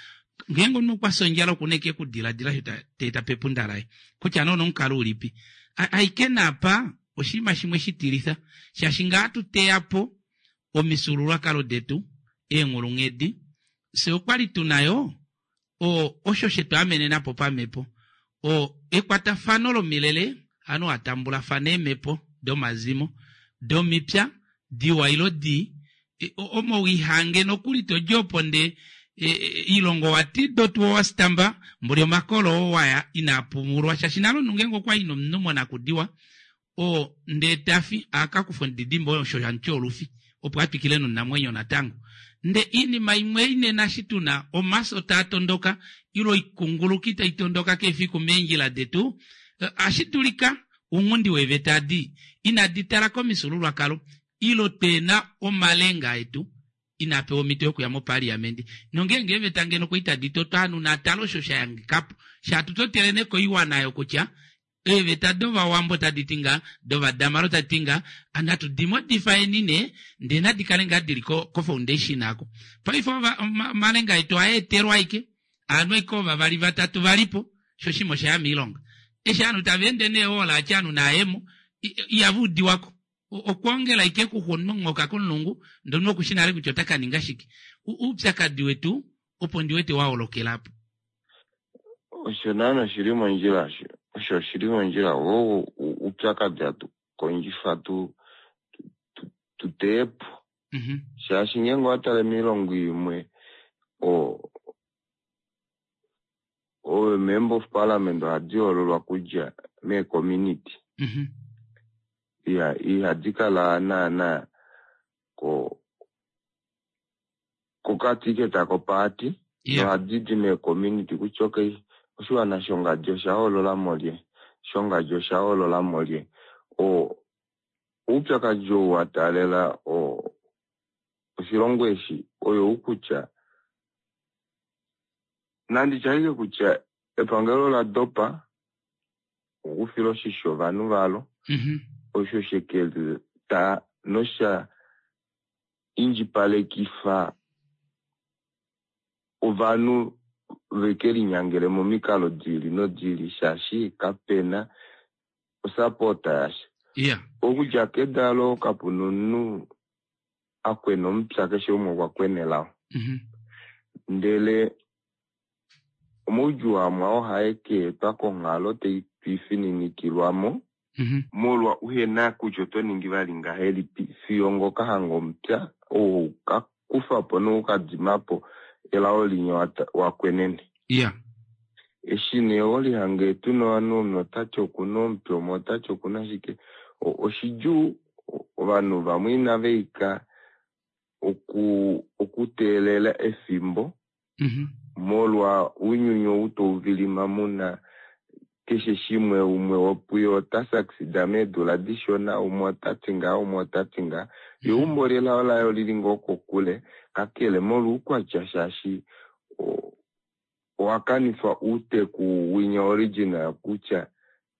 ngeenge omunhu okwa fya ondjala oku na eke okudiladila osho ta eta pepunda laye kutya nee onomukalo ulipi. Aike naapa oshinima shimwe shitilifa shaashi ngaa hatu teya po omifyuululwakalo detu, eenghulunghedi, fye okwali tuna yo o osho shetu amenena po pamhepo. O ekwatafano lomilele ovanhu hava tambulafana eemhepo domazimo, domipya, diwa ilo dii, omo wihange nokuli todi opo nde ilongo wa ti dotuwa wa stamba mboli omakolo oo waya inaa pumulwa shaashi nale omunhu ngeenge okwa i nomunhu monakudiwa oo ndee tafi a ka kufa omudidimbe osho hamuti olufi opo a twikile nonamwenyo natango. Nde iinima imwe ei nena eshi tu na omafyo taa tondoka ile oikunguluki tai tondoka keefiku meendjila detu, ohashi dulika ounghundi weeveta adi inadi tala komifyuululwakalo ile twe na omalenga etu inaa pewa omhito yokuya mopaliamende. Nongeenge eeveta ngeno okwa itadi totwa ovanhu naa tale osho sha yangika po. Shaatu totele nee koiwana oyo kutya Eeveta dOvawambo otadi ti ngaa, dOvadamara otadi ti ngaa, natu di modifyeni nee, ndee nadi kale ngaa dili ko, ko foundation ako. Paife ova, omalenga etu ohaa etelwa aike, ovanhu aike ovavali vatatu va li po, sho oshinima osha ya moilonga. Eshi ovanhu tava ende nee oolaatya ovanhu naayemo, ihava udiwa ko. Okwoongela aike kuxwa omunhu onhoka komulungu, ndee omunhu oku shi nale kutya ota ka ninga shike. Oupyakadi wetu opo ndi wete wa holokela po. Osho naana oshi li mondjila osho. Osho oshi li mondjila. Oo oupyakadi hatu kondjifa tu, tu, tu teye po. Shaashi ngeenge owa tale moilongo imwe, o, o member of parliament ohadi hoololwa kudja meecommunity. Iya, ihadi kala naana ko, kokatiketa kopaati nohadi di meecommunity kutya okay, oshiwana shongadi osha hoolola mo lye, shongadi osha hoolola mo lye. O, oupyakadi ou wa taalela o, oshilongo eshi oyou kutya, nandi tye ashike kutya epangelo ola dopa okufila oshisho ovanhu valo, osho she ke ta nosha indjipalekifa ovanhu ve ke linyangele momikalo di ili nodi ili shaashi kape na osapota yasha. Yeah. Okudja kedalo kapu na omunhu a kwena omupya, keshe umwe okwa kwena elao. Ndele omaudjuu amwe oo hae ke etwa konghalo tai twifininikilwa mo molwa uhe na kutya oto ningi vali ngahelipi fiyo ngo ka hanga omupya ou hau ka kufa po nou ka dima po elao linya wa kwenene. Yeah. Eshi nee ho lihange tu na ovanhu omunhu ota ti oku na omupya umwe ota ti oku na shike, oshidjuu ovanhu vamwe inava ika okuteelela efimbo molwa ounyuni ou tau vilima mu na keshe shimwe, umwe wopuye ota succeeda meedula dishona, umwe ota ti ngaha, umwe ota ti ngaha. Eumbo lelao laye oli li ngoo kokule, kakele molwa oukwatya shaashi owa kanifa outeku winya original kutya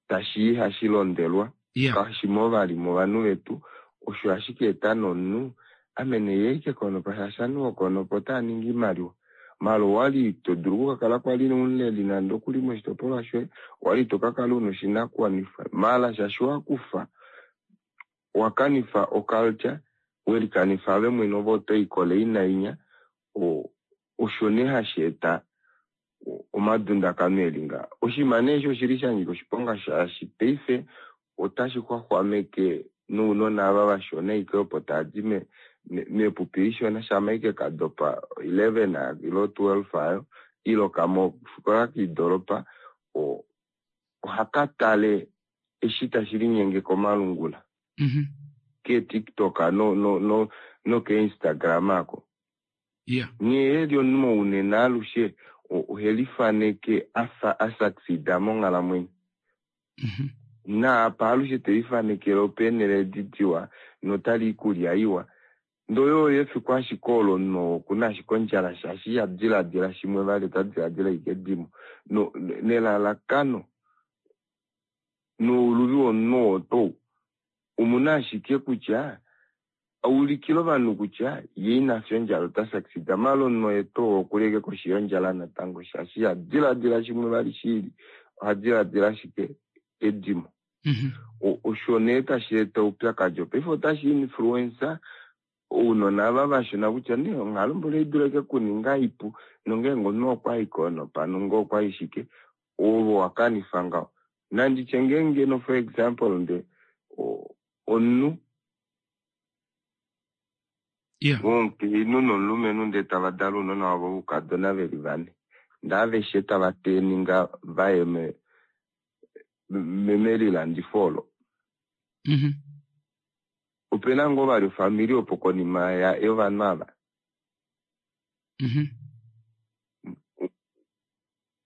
tashi ihashi londelwa, kashi mo vali movanhu vetu, osho ashike eta nomunhu ame nee ye ike konopa shaashi ovanhu vokonopa otava ningi oimaliwa. Mala owali to dulu okukakala kwali omuleli nande okuli moshitopolwa shoye, owali to ka kala una oshinakuwanifwa. Mala shaashi wa kufa, wa kanifa oculture, we likanifa ove mwene ove oto i kole inainya, osho nee hashi eta omadundakano eli ngaha. Oshinima nee eshi oshili sha nyika oshiponga shaashi paife otashi xwaxwameke nounona ava vashona ike opo tava di mepupi lishona shama ike ka dopa 11 ilo 12 ayo ilo kamwe ofikola koidoropa ohaka tale eshi tashi linyenge komalungula kee TikTok no kee Instagram ako. Yeah. Nghee eli omunhu mounene alushe ohe lifaneke a fa a succeeda monghalamwenyo. Naapa alushe te lifanekele opeenhele edi diwa notali ikulya iwa. Ndele oyo efiku ashike olo omunhu oo oku na ashike ondjala shaashi iha diladila shimwe vali, ota diladila ashike edimo. Nelalakano nouluvi womunhu oo tou omu na ashike kutya. Aulikile ovanhu kutya ye ina fya ondjala ota succeed. Mala omunhu oye tuu okuli eke koshi yondjala natango shaashi iha diladila shimwe vali shiili, oha diladila ashike edimo. Osho nee tashi eta oupyakadi oo. Paife otashi influence ounona ava vashona kutya nee onghalo mboli oi dulu eke kuninga ipu, nongeenge omunhu okwa i ko nopano ngoo okwa i shike, ove owa kanifa ngaho. Nanditye ngeenge no for example nde omunhu omukainhu nomulumenhu ndee tava dala ounona wavo voukadona ve li vane, ndee aveshe tava teninga vaye melilandifo olo. Opena ngoo vali ofamili opo konima yovanhu ava?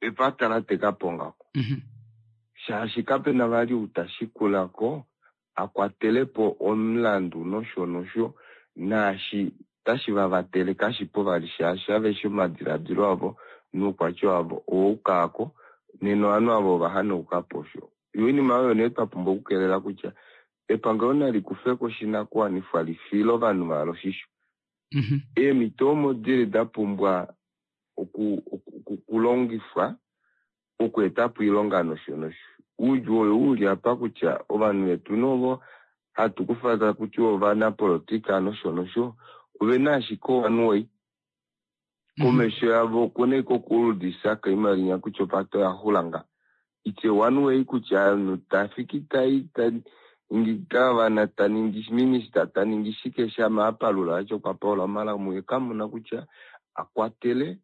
Epata la teka po ngaho. Shaashi kapena vali ou ta shikula ko a kwatele po omulandu nosho nosho, naashi tashi va vatele kashi po vali shaashi aveshe omadiladilo avo noukwatya wavo owauka ko, nena ovanhu ava ova hanauka po osho. Yo oinima oyo nee twa pumbwa okukelela kutya epangelo nali kufe ko oshinakuwanifwa li file ovanhu valo oshisho. Eemhito omo dili da pumbwa okulongifwa okweeta po oilonga nosho nosho. Oudjuu oyo u li apa kutya ovanhu vetu novo hatu kufa taku tiwa ovanapolotika nosho nosho ove na ashike one way. Komesho yavo okuna ashike okuuludisa koimaliwa kutya opate oya xula nga. It's a one way kutya omunhu ta fiki tai ta ningi gavana, ta ningi minista, ta ningi shike shama a palula vati okwa paula omala muye kamuna kutya a kwatele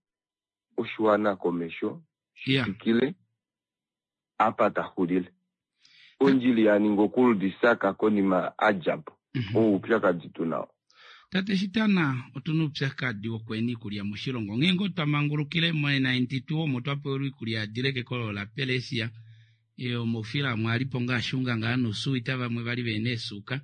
oshiwana komesho shi twikile apa ta xulile. Ondjila ya ninga okuludisaka konima a dja po. Oo oupyakadi tu nao. Tate Shitana, otu na oupyakadi wokweena iikulya moshilongo. Onghee ngoo twa mangulukile mo 92 omo twa pewelwa iikulya ya dile kekolo laPelesia. Omaufila amwe a li po ngaa ashunga ngaa nousuwita vamwe vali ve na eesuuka.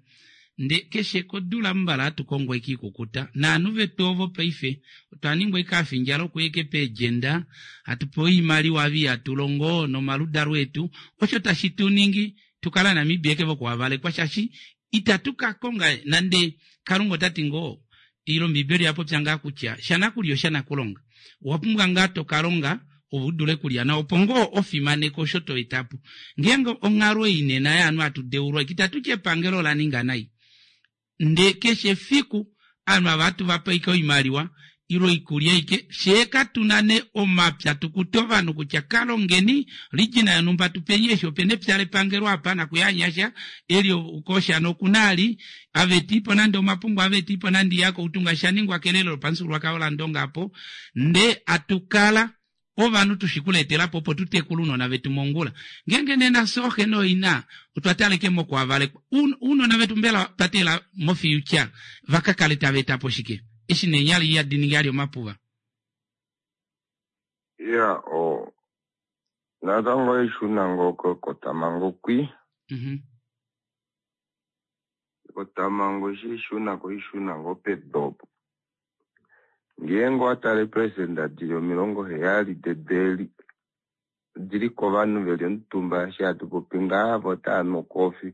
Nde keshe kodula mbala hatu kongo eke ikukuta. Naanhu vetu ovo paife otwa ningwa eke afindjala okuya eke peedjenda, hatu pewa oimaliwa ava ihatu longo nomaludalo etu. Osho tashi tu ningi tu kale Aanamibia eke vokuhavalekwa shaashi itatu ka konga nande Kalunga ota ti ngoo ile Ombiibeli oya popya ngaa kutya shanakulya oshanakulonga. Owa pumbwa ngaa to ka longa ove u dule kulya nawa opo ngoo ofimaneke osho to eta po. Ngeenge onghalo ei nena yaanhu hatu deulwa itatu ti epangelo ola ninga nai. Nde keshe efiku ovanhu ava hatu va pe oimaliwa ile oikulya aike, fyee katu na nee omapya tu kute ovanhu kutya ka longeni region yonhumba tu peni eshi opena epya lepangelo apa nakuyanyasha eli koshana okuna ali avetiipo nande omapungu avetiipo nande iyako outunga sha ningwa kelelo lopamufyuululwakalo laNdonga apo nde atukala ovanhu tu shi kuleetela po opo tu tekule ounona vetu mongula. Ngeenge nena fye ooxe nooina otwa taleke mokuhavalekwa, ounona vetu mbela otwa teelela mofuture va ka kale tava eta po shike eshi neenyala ihadi ningi ali omapuva? Iya, o natango oishuna ngoo kotamango kwi. Ekotamhango eshi ishuna ko ishuna ngoo pedu opo. Ngeenge owa tale eeperesenda dili 70 dedu eli odili kovanhu veli omutumba eshi hatu popi ngaha vo otava nu okoofi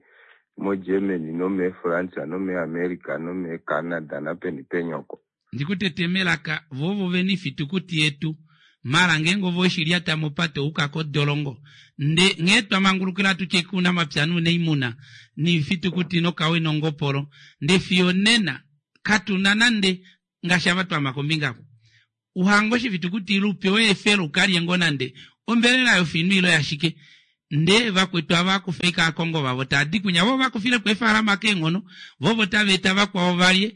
moGermany nomeeFrance nomeeAmerica nomeeCanada napeni peni oko. Ndi ku tete melaka, vo ovo vene ifitukuti yetu. Mara ngeenge ove oweshi lyata mopate ouka kodolongo. Nde nghee twa mangulukila tutye kuunamapya nuunaimuna, niifitukuti nokawe nongopolo, nde fiyo onena katu na nande ngaashi ava twama kombinga oko. Uhange oshifitukuti ile u pewe efelo u ka lye ngoo nande ombelela yofinu ile yashike. Nde vakwetu ava kufa ike aakongo vavo taa di kwinya vo va kufile po eefaalama keenghono, vo ovo tava eta vakwao valye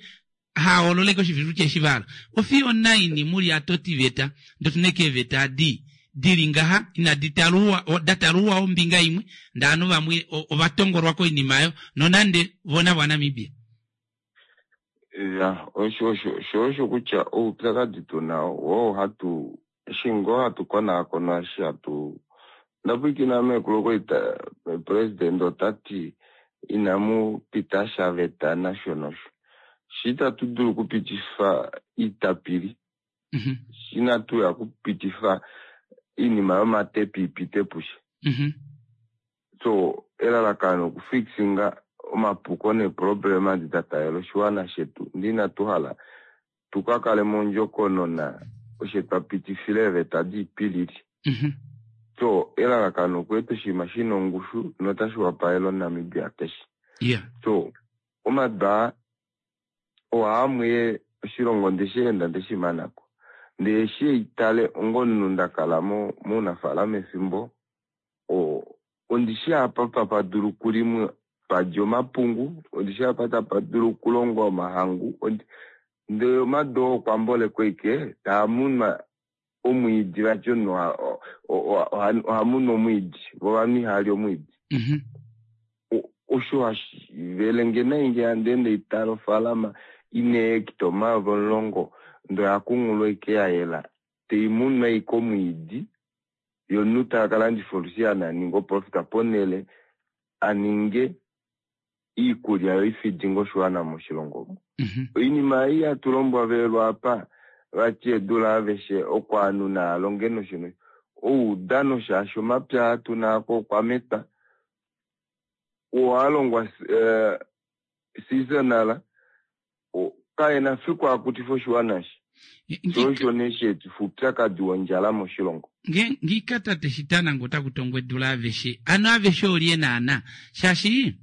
hahoololeke oshifitukuti eshi va hala. Ofiyo onaini mu li atotiveta ndee otu na eke eeveta adi di li ngaha inadi talwa da talwa ombinga imwe ndee ovanhu vamwe ova tongolwa koinima oyo nonande vo navo Aanamibia. Ya, osho osho sho osho kutya oupyakadi tu na oo hatu eshi ngoo hatu konaakona eshi hatu ndapwiikina meekulu okwali president ota ti inamu pita sha veta nasho nosho. Shi itatu dulu okupitifa iitapili, shi inatu ya okupitifa oinima yomatepi i pite pushe. So elalakano okufixinga omapuko neeproblema edi da taalela oshiwana shetu ndee inatu hala tukakale mondjokonona oshe twa pitifile eeveta diipilili. So elalakano okweeta oshinima shina ongushu notashi wapalele omuNamibia keshe. So omadu aa ohaamwe oshilongo ndeshi enda ndeshi manako ndee eshi eitale onga omunhu ndakala mounafaalama efimbo ondishi apa tapa dulu okulimwa padja omapungu, ondishi apa tapa dulu okulongwa omahangu, ndele omadu oo okwa mbolekwa ashike taa munwa omwiidi vati omunhu oha munu omwiidi vo ovanhu ihava li omwiidi. Osho hashi velenge nai ngee handi ende haitale ofaalama ina eehecta 10,000 ndee oya kunghulwa ashike ya yela tai munwa ashike omwiidi ye omunhu ta ka landifa olusiana a ninge oprofita ponhele a ninge iikulya yo ifidinge oshiwana moshilongo omu. Oinima ei hatu lombwavelwa apa vati edu laaveshe oko ovanhu naa longe nosho nosho oudano shaashi omapya aa tuna ako okwa metwa oo a longwa seasonal kaena fiku a kutifa oshiwana eshi. Sho osho nee sha etifa oupyakadi wondjala moshilongo. Nge ngiika tate Shitana nge otaku tongwa edu laaveshe, ano aveshe olye naana? Shaashi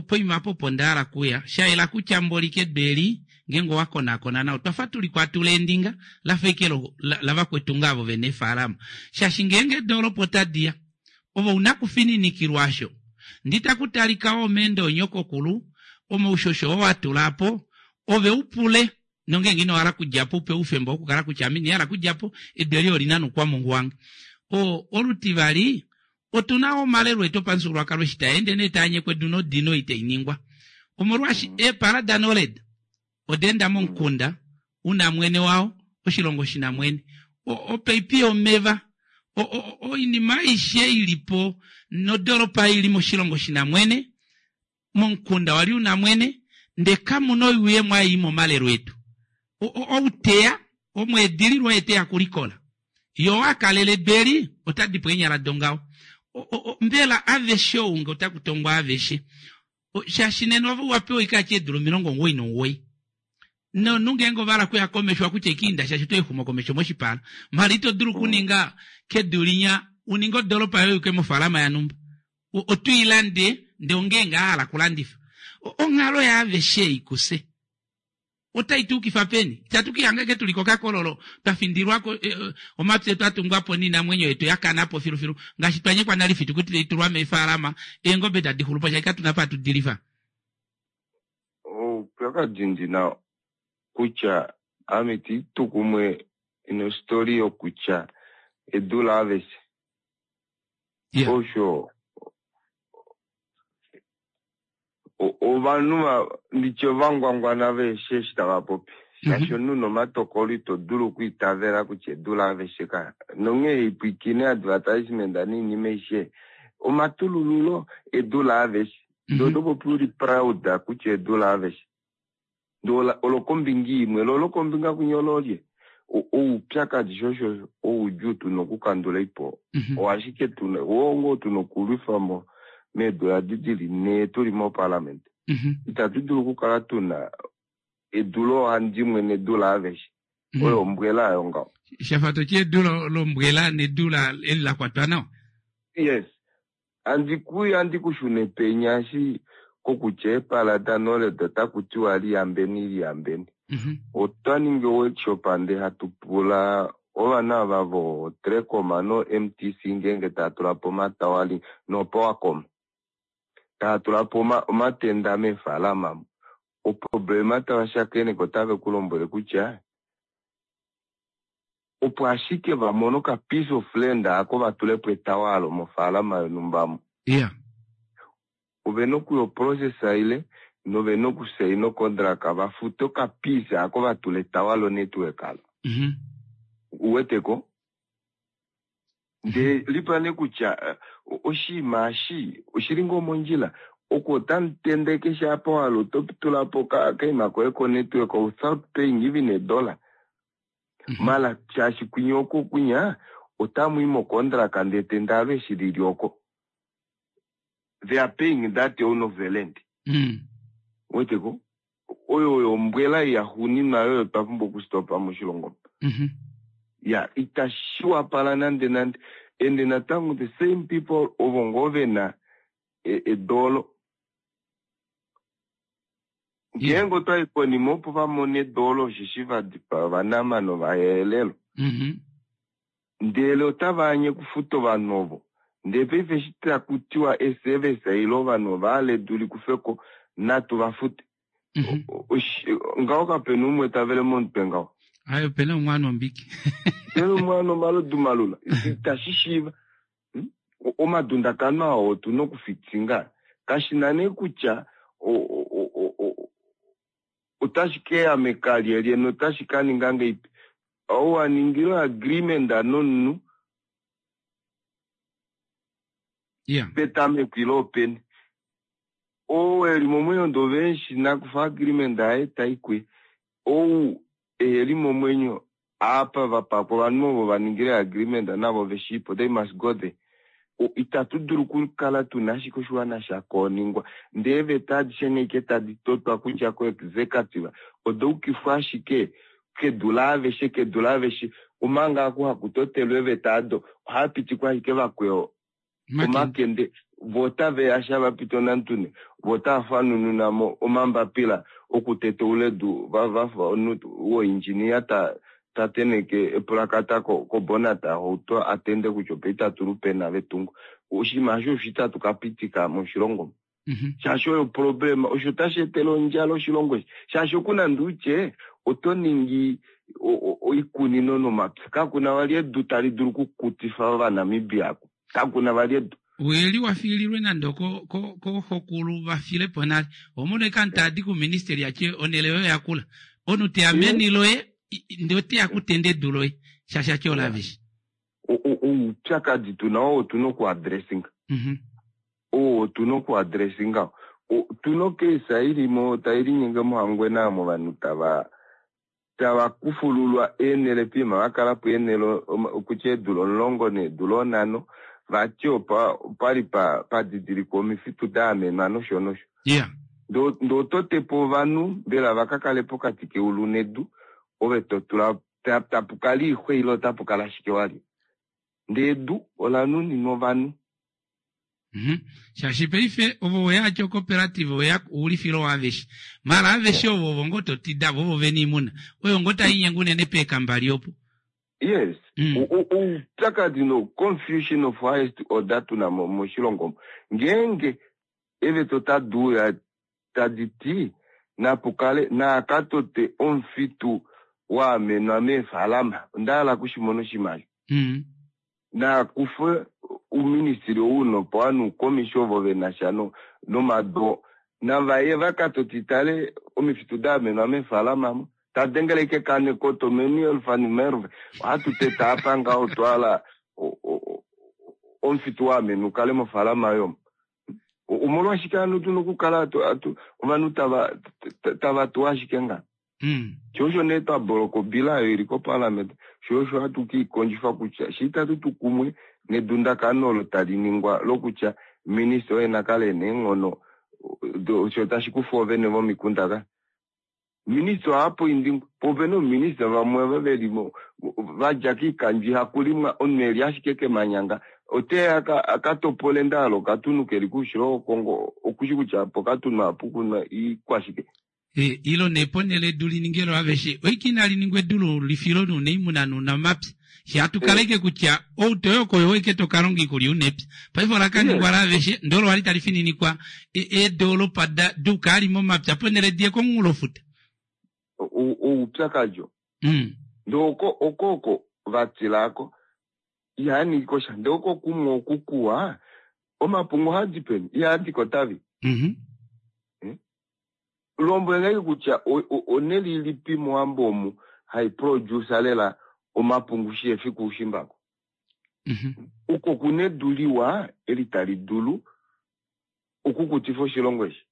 poima apa opo nda hala kuya, sha yela kutya mboli kedu eli ngeenge owa konaakona nawa otwa fa tuli kwatula eendinga la fa ashike lavakwetu ngaa avo vena eefaalama. Shaashi ngeenge eedoolopa otadi ya, ove una kufininikilwa osho. Ndi taku talika wo omeendo onyokokulu, omaushosho oo wa tula po, ove u pule nongeenge ino hala kudja po u pewe oufemba wokukala kutya ame ina hala kudja po, edu eli oli na noukwamungu wange. O, olutivali, otu na omalelo etu opamufyuululwakalo eshi taa ende nee taa nyekwa edu nodino itai ningwa. Omolwaashi eepala daNored oda enda momukunda u na mwene wao, oshilongo shi na mwene. Opaipi yomeva, oinima aishe i li po nodoolopa i li moshilongo shi na mwene, momukunda wa li u na mwene, ndee kamu na oyuuyemo ei i momalelo etu. Ou te ya, omweedililwa oye te ya kulikola. Ye oo a kalele edu eli, ota di po eenyala dongaho. Mbela aveshe ou nge otaku tongwa aveshe? Shaashi nena ove wa pewa oikaati eedula 99. Nomunhu ngeenge ova hala okuya komesho owa kutya ike inda shaashi oto exumo komesho moshipala. Mala ito dulu okuninga kedu linya u ninge odoolopa yoye uke mofaalama yanumba. Oto i lande ndee ongeenge a hala okulandifa. Onghalo yaaveshe ei kufye. Otai tu ukifa peni? Itatu ka ihanga ashike tu li kokakololo, twa findilwa ko, omapya etu a tungwa po noinamwenyo yetu ya kana po filufilu, ngaashi twa nyekwa nale oifitukuti tai tulwa meefaalama, eengobe tadi xulu po shaashi katu na apa hatu di lifa. Oupyakadi ndi na kutya ame ita itu kumwe nostoli yokutya edu laaveshe. Osho Ovanhu nditye ovangwangwana veeshe eshi tava popi shaashi omunhu nomatokolo ito dulu okwiitavela kutya edu laaveshe ka nonghee haipwiikine advertisement noinima aishe omatulululo edu laaveshe ndee oto popi uli proud kutya edu laaveshe ndee olokombinga imwe lo olokombinga kwinya ololye oupyakadi sho osho oudjuu tuna okukandula ipo oo ashike tuna oo ngoo tuna okulwifa mo meedula edi dili nhee tuli moparliament itatu dulu okukala tuna edu loohandimwe nedu laaveshe oyo ombwela ayo ngaho. Shafa toti edu lombwela nedu eli la kwatwa nawa. Yes. Andi ku andi ku shune penya eshi kokutya eepala da Nored otaku tiwa liyambeni liyambeni. Otwa ningi o-workshop nde hatu pula ovana ava vo Trecom no MTC ngeenge tava tula po omatawali no Powercom tava tula po omatenda meefalama omo. Oproblema tava shakeneke otave ku lombwele kutya opo ashike va mone oka piece of land ako va tulepo etawalo mofaalama yonhumba omo. Ovena okuya oprocess ile novena okusaina ocontract va fute oka piece ako va tule etawalo network alo. Uweteko? Ndee lipula nee kutya oshinima eshi oshili ngoo mondjila? Oku otamu tende keshe apa wa hala oto tula po okaima koye ko network without paying even a dollar. Mala shaashi kwinya oko kwinya otamu i mocontract ndee tendalo eshi lili oko. They are paying that own of the land. Weteko oyo oyo ombwela yaxuuninwa oyo twa pumbwa okustopa moshilongo. Ya itashi wapala nande nande. Ende natango the same people ovo ngoo ve na edoolo. Ngeenge otwa i konima opo va mone edoolo osheshi va dipaa Ovanama nOvaherero. Ndele otava anye okufuta ovanhu ovo. Ndele paife eshi taku tiwa eservice ile ovanhu ova hala edu li kufwe ko, natu va fute. Ngaho kape na umwe ta vele momutwe ngaho. Aye, ope na umwe a nwa ombiki. Ope na umwe a nwa omalodu malula. Itashi shiiva. Omadundakano ao otu na okufitinga. Kashi na nee kutya otashi ke ya meka lyelye notashi ka ninga ngeipi. Ou wa ningile oagreement nomunhu petameko ile openi. Ou e li momwenyo ndee ove eshi nakufa agreement yaye tai kuye. Ou eheli momwenyo apa va pakwa ovanhu ovo va ningile agreement navo ve shiipo they must go there. Itatu dulu okukala tuna ashike oshiwana sha kooningwa ndee eeveta adishe nghee tadi totwa kudja ko executive oda ukifwa ashike kedu laaveshe kedu laaveshe omanga aku haku totelwa eeveta ado ohava pitikwa ashike vakweo omakende vo otave ya sha va pita onantune vo otava fanununa mo omambapila okuteteula edu va vafa omunhu woindjiniya ta ta tenheke epulakata kobonata yohauto a tende kutya opa itatu lupena vetungo. Oshinima osho osho itatu ka pitika moshilongo omu. Shaashi oyo problema, osho tashi etele ondjala oshilongo eshi. Shaashi oku nande utye oto ningi oikunino nomapya, kaku na vali edu tali dulu okukutifa Ovanamibia aku. Kaku na vali edu. Weli wa fiililwe nande kooxokulu va file po nale. Oho mono ashike omunhu tadi kouministeli a tye onhele yoye oya kula. Omunhu teya meni loye ndee oteya kutenda edu loye shaashi a tye olaaveshe. Oupyakadi tu na oo otu na okuadressinga. Oo otu na okuadressinga. Otu na ocase i li mo tai linyenge mOhangwena omo ovanhu tava tava kufululwa eenhele piima va kala po eenhele okutya eedula omulongo needula onhano vati opa opali pa pa didilikwa omifitu da amenwa nosho nosho. Yeah. Ndee oto te po ovanhu mbela va ka kale pokati keulu nedu ove to tula tapu kala oixwa ile otapu kala ashike walye. Ndee edu ola nuninwa ovanhu. Mhm. Shaashi paife ovo we ya cooperative we ya oulifilo waaveshe. Mara aveshe ovo ovo ngoo to tida vo ovo vena oimuna. Oyo ngoo tai nyenge unene peekambali opo. Yes. Oupyakadi no confusion of highest order tuna moshilongo omu. Ngeenge eeveta otadi uya tadi ti napu kale naa ka tote omufitu wa amenwa meefaalama, onda hala okushimona oshinima osho. Naa kufe ouministili ou nopawa noukomisi ovo ve na sha nomado, nava ye va ka totitale omifitu da amenwa meefaalama mo. Ta dengele ashike kane koto Manuel van Merwe, ohatu teta apa ngaho otwa hala omufitu wa amenwa u kale mofaalama yomo. Omolwashike hano tu na okukala ovanhu tava tava tuwa ashike nga? Sho osho nee twa boloka obila oyo ili koparliament, sho osho hatu ke i kondjifa kutya shi itatu tu kumwe nedundakano olo tali ningwa lokutya minista oye na kale e na eenghono sho tashi kufa oovene vomikunda ka. Minista oha poindingwa, po opena oominista vamwe ava ve li mo va dja koikandjo ihaku limwa, omunhu e li ashike kemanyanga oteya a ka topole nda hala okatunhu ke li koushilo wOkongo okushi kutya pokatunhu ohapu kunwa iikwashike. Ile nee ponhele edu li ninge loaveshe, oike inali ningwa edu loulifilo nounaimunha nounamapya. Fye hatu kala ike kutya ou to i oko oye ike to ka longa oikulya una epya. Paife ola ka ningwa laaveshe, ndele olo wali tali fininikwa eedoolopa da dukaali momapya ponhele di ye komunghulofuta. Oupyakadi oo. Ndele oko oko oko va tila ko. Ihaa ningi ko sha. Ndele oko kumwe oku kuwa, omapungu ohaa di peni? Ihaa di kOtavi. Lombwele nge kutya onhele ilipi mOwambo omu hai produce lela omapungu shi efi kuushimba ko. Oko kuna edu liwa eli tali dulu okukutifa oshilongo eshi.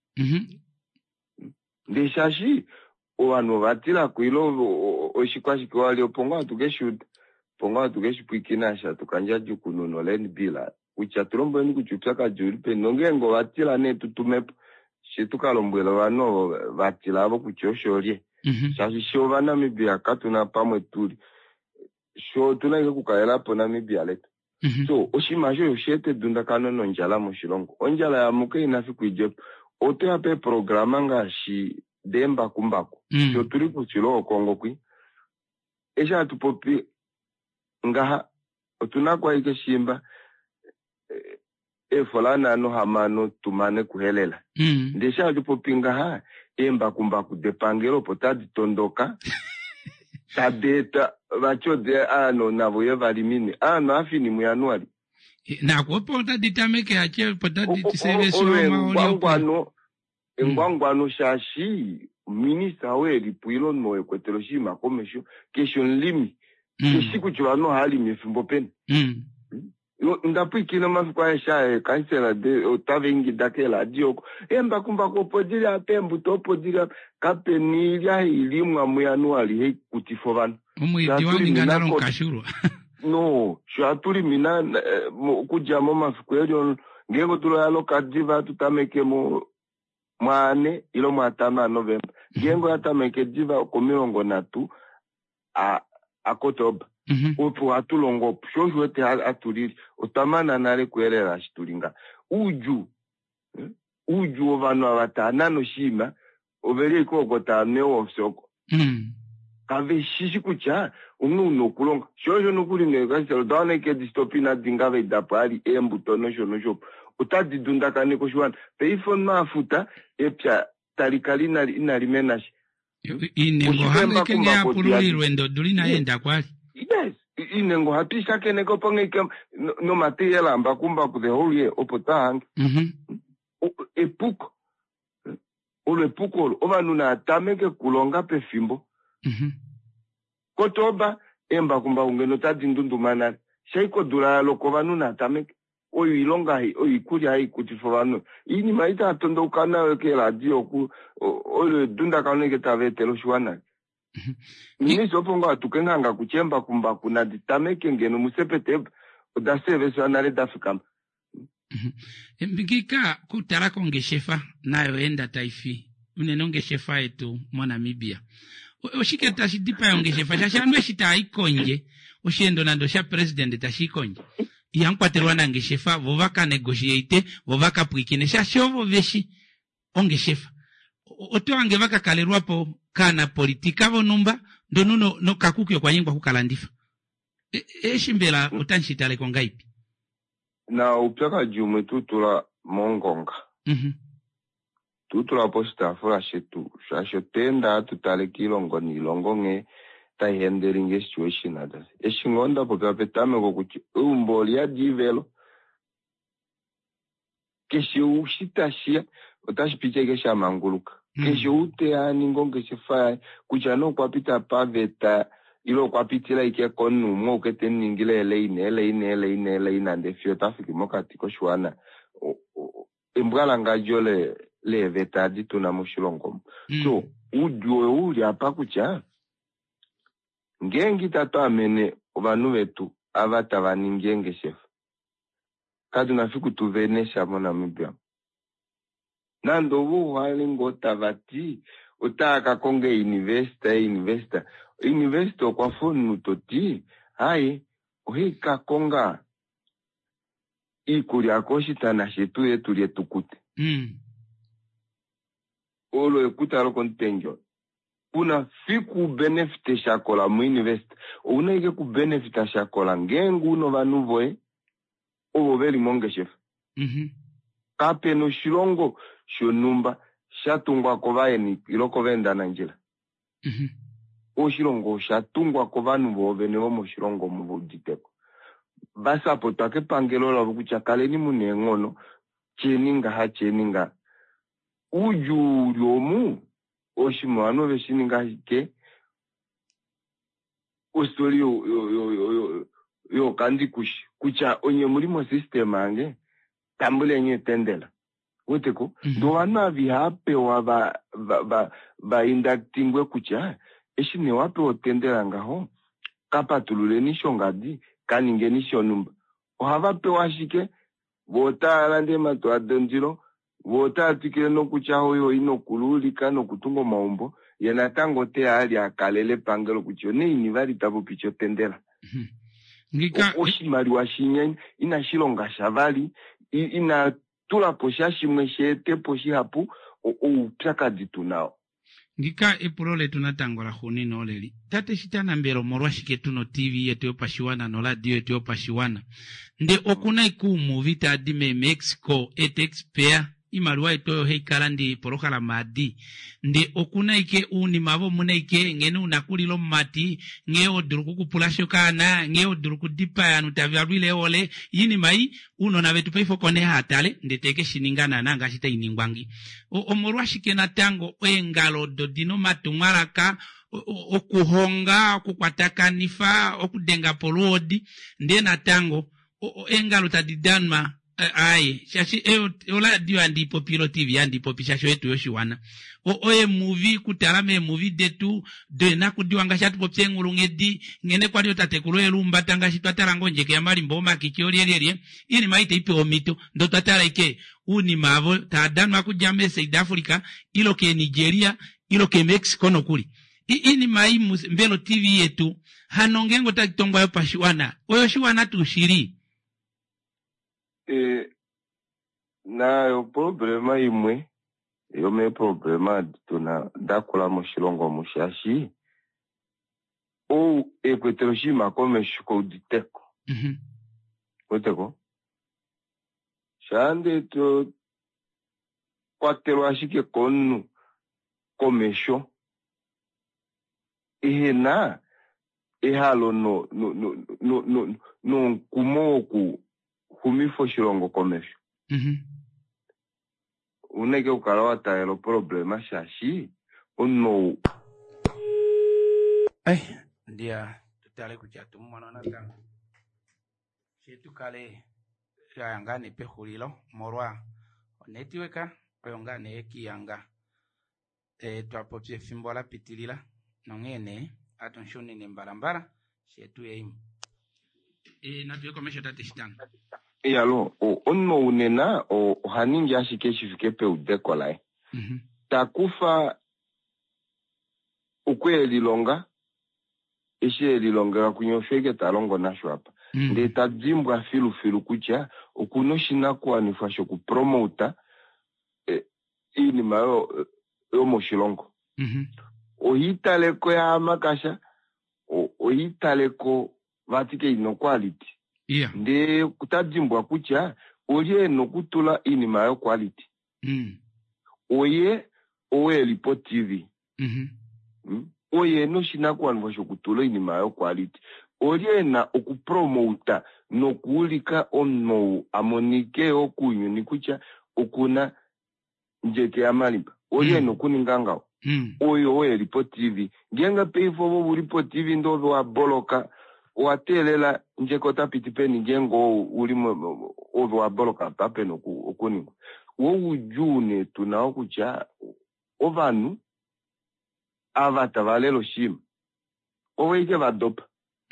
Ndee shaashi ovanhu ova tilako ile oshikwashike wali opo ngoo hatu ke shi uda, opo ngoo hatu ke shi pwiikina eshi hatu ka ndjadjukununa oLand Bill kutya tu lombweleni kutya oupyakadi ouli peni nongeenge ova tila nee tu tume po. She tu ka lombwela ovanhu ovo va tila avo kutya osho lye. Shaashi she Ovanamibia katu na pamwe tuli. Sho otu na ashike okukalela po Namibia letu. So oshinima osho osha eta edundakano nondjala moshilongo. Ondjala yamuke ina fiku idje po. Oto ya peeprograma ngaashi deembakumbaku. Sho tuli koushilo woKongo kwi. Eshi hatu popi ngaha otu na ko ashike shiimba eefola nhano hamano tu mane kuhelela. Ndee eshi hatu popi ngaha eembakumbaku depangelo opo tadi tondoka tadi eta vati ode aanhu navo ye va limine. Aanhu afini muJanuali. Nako opo otadi tameke ache opo tadi service Olo engwangwano, engwangwano shaashi minista ou e li po ile omunhu oo e kwetele oshinima komesho keshe omulimi. Keshi kutya ovanhu ohava limi efimbo peni. Nda pwiikina omafiku aeshe aa eekansela otava ingida keeradio oko, eembakumbaku opo di li apa, eembuto opo di li apa. Kape na oilya hai limwa muJanuali hai kutifa ovanhu. Omwiidi wa ninga nale omukashulwa. No, sho hatu limi na, okudja momafiku eli ngeenge odula oya loka diva hatu tameke mo mwaane ile mwaatano aNovemba. Ngeenge oya tameke diva okomilongo nhatu a aKotoba. Opo hatu longo opo. Sho osho wete hatu lili. Otwa mana nale kuyelela eshi tuli nga. Oudjuu, oudjuu wovanhu ava tava nane oshinima, ove li ashike oko tava nu eewofi oko. Kave shi shi kutya onghee una okulonga. Sho osho nokuli neekansela oda wana ashike edi stop inadi ngava dapo ali eembuto nosho nosho. Otadi dundakaneke oshiwana. Paife omunhu a futa epya tali kala inali mena sha. Iinengo ohange kenge ya pululilwe ndo odula inai enda kwali. Yes, iinengo ohatu i shakeneke opo nghee ke nomateyela ambakumbaku the whole year opo twa hange. Epuko. Olo epuko olo. Ovanhu naa tameke kulonga pefimbo. Kotoba, eembakumbaku ngeno otadi ndunduma nale. Shai kodula ya loka ovanhu naa tameke. Oyo oilonga hai, oyo oikulya hai kutifa ovanhu. Oinima ei tava tondauka nayo keeradio oku, olo edundakano eke tava etele oshiwana. Minista opo ngoo atuke nghanga kutya eembakumbaku nadi tameke ngeno muSeptemba, oda seeveswa nale da fikama. Ngika kutala kongeshefa nayo enda tai fi unene ongeshefa yetu moNamibia. Oshike tashi dipaya ongeshefa? Shaashi ovanhu eshi tava i kondje, osheendo nande osha president tashi i kondje, ihamu kwatelwa nangeshefa, vo va ka negotiate, vo va ka pwiikine, shaashi ovo veshi ongeshefa. Oto hange va ka kalelwa po kaanapolitika vonhumba, ndono nokakuki okwa nyengwa okukalandifa. Eshi mbela otamu shi tale ko ngaipi? Na oupyakadi umwe tu tula mongonga. Tu tula poshitaafula shetu, shaashi otwa enda hatu tale kiilongo niilongo nghee tai hendelinge situation others. Eshi ngoo nda popya petameko kutya eumbo oli yadi ivelo, keshe ou tashi ya otashi piti ashike sha manguluka. Keshe ou te ya a ninge ongeshefa yaye, kutya nee okwa pita paveta ile okwa pitila ashike komunhu umwe ou ke te mu ningile eleine, eleine, eleine, eleine, ndee fiyo ota fiki mokati koshiwana. Embwalangadjo leeveta adi tu na moshilongo omu. So, oudjuu oyo u li apa kutya, ngeenge itatu amene ovanhu vetu ava tava ningi eengeshefa, katu na fiku tu vene sha moNamibia. Nande ovo uhale ngoo tava ti otava ka konga einvesta, einvesta. Einvesta okwa fa omunhu to ti, haye, ohai ka konga iikulya koshitana shetu ye tu lye tu kute. Olo ekuta lokomutenge olo. Kuna fiku u benefite sha kola muinvest. Ouna ashike ku benefita sha kola ngeenge una ovanhu voye ovo ve li mongeshefa. Kape na oshilongo shonhumba sha tungwa kovaeni ile kovaendanandjila. Oshilongo osha tungwa kovanhu voovene vomoshilongo omo va uditeko. Va sapotwa kepangelo lavo kutya kaleni mu na eenghono, tyeni ngaha, tyeni ngaha. Oudjuu uli omu, oshinima ovanhu ove shi ninga ashike ostori yookandikushi kutya onye muli mosystem yange, tambuleni etendela. Weteko? Ndee ovanhu ava ihava pewa va inductingwe kutya eshi nee wa pewa otendela ngaho, ka patululeni shongadi, ka ningeni shonhumba. Ohava pewa ashike, vo otava lande eematuwa dondilo, Vo otava twikile nokutya oyo ina okuluulika nokutunga omaumbo, ye natango oteya ali a kalele epangelo kutya onaini vali ta popica otendela. Ngika Oshimaliwa shinya inashi longa sha vali, ina tula po sha shimwe shi ete po shihapu oupyakadi tu nao. Ngika epulo letu natango laxuuninwa oleli, Tate Shitana mbela omolwashike tuna oTV yetu yopashiwana noradio yetu yopashiwana nde okuna ashike uumuvi taadi meeMexico eetaxpayer iimaliwa yetu oyo hayi kala ndi eepolohalama adi nde okuna ashike uunima avo omuna ashike nghene una kulila omumati nghee hodulu okukupulashi okaana nghee hodulu okudipaya ovanhu tava lwile eehole iinima ei uunona vetu paife oko nee haa tale ndee teke shi ninga naana ngaashi tai ningwa ngi. Omolwashike natango eengalo odo di na omatumwalaka okuhonga, okukwatakanifa, okudenga po oluhodi ndee natango eengalo tadi danwa aaye shaashi oradio handi i popi ile otv handi i popi shaashi oyetu yoshiwana. Oeemuvi kutala meemuvi detu deenakudiwa ngaashi hatu popi eenghulunghedi nghene kwali ootatekulu eluumbata ngaashi twa tala ngoo ondjeke yamalimba omakiki olyelyelye iinima ei itai pewa omhito ndee otwa tala ashike uunima avo taa danwa okudja meeSouth Africa ile keeNigeria ile keeMexico nokuli. Iinima ei mbela oTV yetu hano ngeenge otai tongwa yopashiwana oyoshiwana tuu shili? E, nayo oproblema imwe yomeeproblema adi tuna dakula moshilongo omu shaashi ou ekwetele oshinima komesho kouditeko. Weteko? Shaa ndee to kwatelwa ashike komunhu komesho ehena ehalo no no no no nomukumo woku xumifa oshilongo komesho. Ouna ashike okukala wa taalela oproblema shaashi omunhu ou Ai, ndiya tu tale kutya tu mu mono natango. Fye tu kale twa ya ngaa nee pexulilo molwa onetiweka oyo ngaa nee yekiyanga. E, twa popya efimbo la pitilila nonghee nee hatu shunine mbalambala fye tu yeimo. E, natu ye komesho tate Shitana. Iyalo, omunhu ou nena oha ningi ashike shi fike peudeko laye. Ta kufa okwe e lilonga, eshi e lilongela kunye osho ashike ta longo nasho apa. Ndee ta dimbwa filufilu kutya oku na oshinakuwanifwa shokupromota iinima yomoshilongo. Oha italeko yahamakasha, oha italeko vati keina oquality. Ndee ota dimbwa kutya olye ena okutula iinima yoquality. Oye ou eli poTV. Oye ena oshinakuwanifwa shokutula oinima yoquality. Olye ena okupromota nokuulika omunhu ou a monike yoo kounyuni kutya okuna Ndjeke yaMalimba. Olye ena okuninga ngaho? Oye oo eli poTV. Ngeenge paife ove uli poTV ndee ove wa boloka, owa teelela Ndjeke ota piti peni ngeenge oo uli ove wa boloka apa pena okuningwa. Wo oudjuu nee tu na oo kutya ovanhu ava tava lele oshinima ovo ashike va dopa.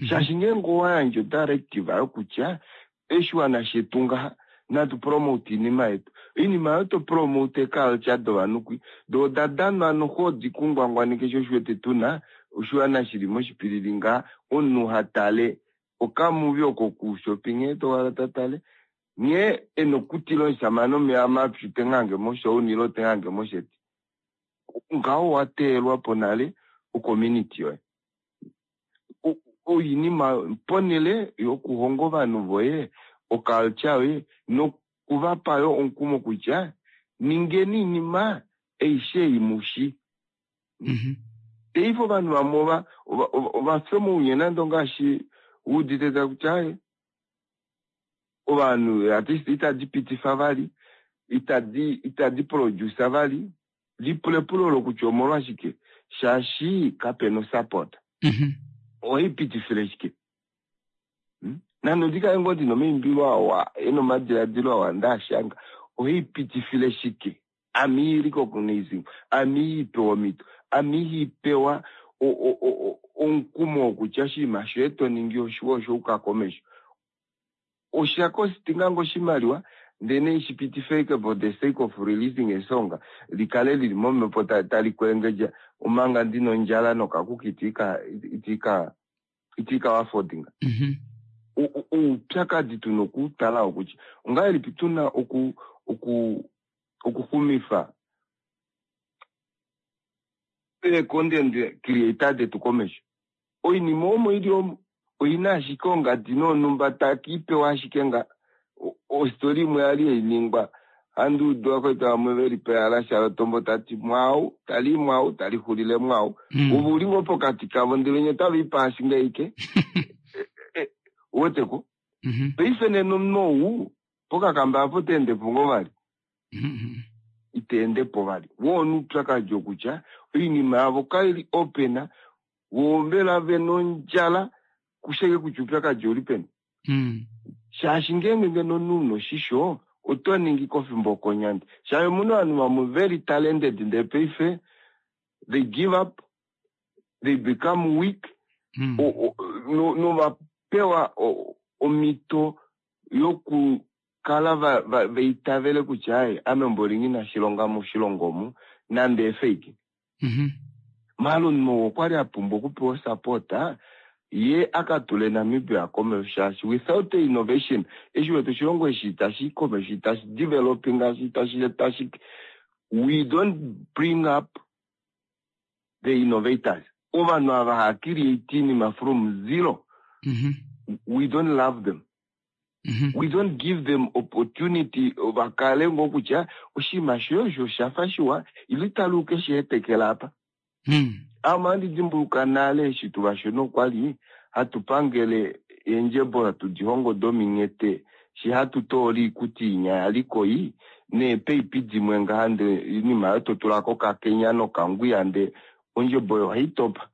Shaashi ngeenge owa yandja odirective yokutya oshiwana shetu ngaha natu promote oinima yetu, oinima oyo to promote eeculture dovanhu kwi, doo oda danwa noxo odi ku ngwangwaneke sho osho wete tuna oshiwana shili moshipilili ngaha, omunhu ha tale okamuvi oko kuushopi nghee towala ta tale nghee ena okutila omushamane omeya mapyu te moshouni ile te mosheti. Ngaho owa teelwa po nale ocommunity yoye. Oinima ponhele yokuhonga ovanhu voye oculture yoye nokuvapa yo omukumo kutya ningeni oinima aishe ei mushi. Paife ovanhu vamwe ova fya omaunye nande ongaashi wuudite takutya aaye ovanhu artist itadi pitifa vali, itadi produce vali. Lipula epulo olo kutya omolwashike, shaashi kapena osupport. Ohai pitifile shike? Nande ondi kale ngoo ndina omaimbilo awa ena omadiladilo awa ndaashanga, ohai pitifile shike? Ame ihai recognizing, ame ihai pewa omhito, ame ihai pewa omukumo wokutya oshinima shoye to ningi oshiwa osha yuka komesho. Osha kostinga ngoo oshimaliwa? Ndee ne shi pitife ashike for the sake of releasing a song, li kale lili momhepo tali kwelengedja omanga ndina ondjala nokakuki itiika itiika itiika affordinga. Oupyakadi tuna okutala okutya ongahelipi tuna oku oku okuxumifa ee-content creator detu komesho. Oinima omo ili omo oina ashike ongadi nonhumba takiipewa ashike nga ostori imwe yali hainingwa handi udu vakwetu vamwe veli pehala shalotombo tati mwau tali mwau tali xulile mwau ove uli ngoo pokati kavo ndele nye otava i paashi ngaike uweteko paife nena omunhu ou pokakamba apo ota endepo ngoo vali ita endepo vali woo oupyakadi okutya oinima yavo kaili open voo mbela vena ondjala kusheke kutya oupyakadi ouli peni shaashi ngeenge ngeno omunhu una oshisho oto ningi kofimbo okonyandi shaashi omuna ovanhu vamwe very talented ndee paife they give up they become weak novapewa omhito yokukala vaitavele kutya ai ame mboli nghi na shilonga moshilongo omu nande efake. Maala omunhu ou okwali apumbwa okupewa support ye akatule Namibia komesho shaashi without innovation eshi wete oshilongo eshi itashi komesho itashi developing ngaashi itashi tashi we don't bring up the innovators ovanhu ava hava create iinima from zero we don't love them we don't give them opportunity vakale ngoo kutya oshinima shoye osho oshafa shiwa ile taluke sheetekela apa. Ame ohandi dimbuluka nale eshi tuvashona okwali hatu pangele eendjebola tudi hongo dominghete shi hatu toola oikuti inya yaliko ii neepaipi dimwe ngaha ndee oinima oyo totula kokakenya nokangwiya ndee ondjebo oyo ohaitopa.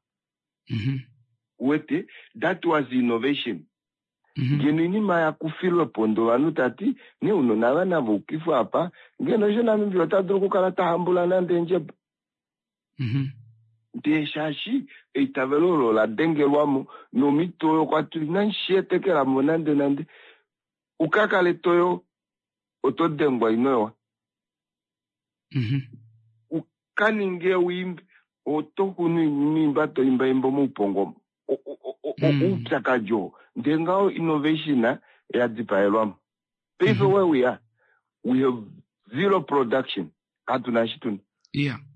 Uwete? That was innovation. Ngeno oinima ya kufilwe pondo ovanhu tati nee ounona ava nava ukifwe apa ngeno osho Namibia ota dulu okukala ta hambula nande eendjebo. Ndee shaashi eitavelo olo ola dengelwamo nomhito oyo kwa ti inandi shi etekelamo nande nande uka kale toyo oto dengwa ino yowa. Uka ninge uimbe oto kunu oinima to imbaimba omoupongo omo. Oupyakadi oo ndee ngaho innovation ya dipaelwamo. Paife where we are, we have zero production. Katu na eshi tuna.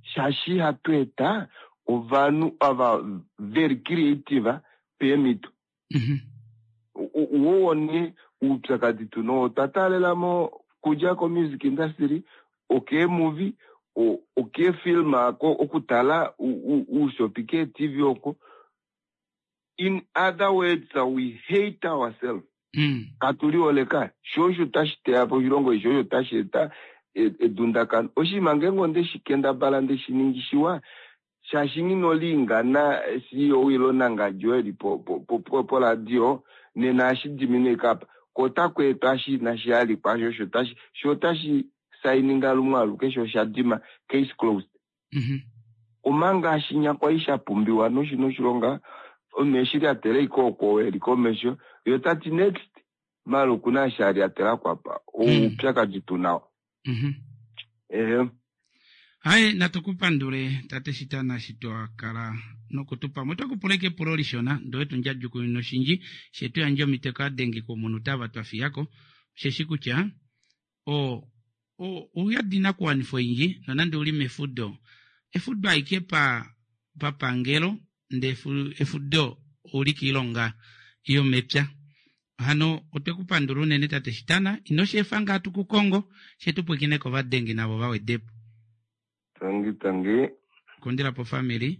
Shaashi ihatu eta ovanhu ava very creative peemhito. Woo nee oupyakadi tuna oo otwa taalela mo kudja ko music industry, okeemuvi, okeefilm okutala uushopi keeTV oko. In other words, we hate ourselves. Katu lihole ka. Sho osho tashi teya po oshilongo eshi, osho tashi eta edundakano. Oshinima ngeenge onde shi kendabala nde shi ningi shiwa, shaashi nghi noliingana CEO ile onangadji oyo eli poradio, nena ohashi diminwa ashike apa. Ko otaku etwa eshi inashi halikwa, sho osho tashi, sho otashi saininga lumwe aluke, sho osha dima, case closed. Omanga shinya kwali sha pumbiwa noshina oshilonga, omunhu eshi lyatela ashike oko eli komesho, ye ota ti next, maala okuna eshi a lyatelako apa. Oupyakadi tu nao. Ehe. Haye, natu ku pandule tate Shitana eshi twa kala noku tu pamwe. Otwe ku pula ashike epulo lishona, ndee owe tu ndjadjukununa oshindji, she tu yandja omhito kaadenge komunute ava twa fiya ko. Osheshi kutya o, o, ouyadi inakuwanifwa oindji, nonande uli mefudo. Efudo aike pa, papangelo, ndee efudo ouli kiilonga yomepya. Hano otwe ku pandula unene tate Shitana, ino shi efa ngaa tu ku kongo, she tu pwiikine kovadengi navo va wede po. Tangi tangi. Kundila po family.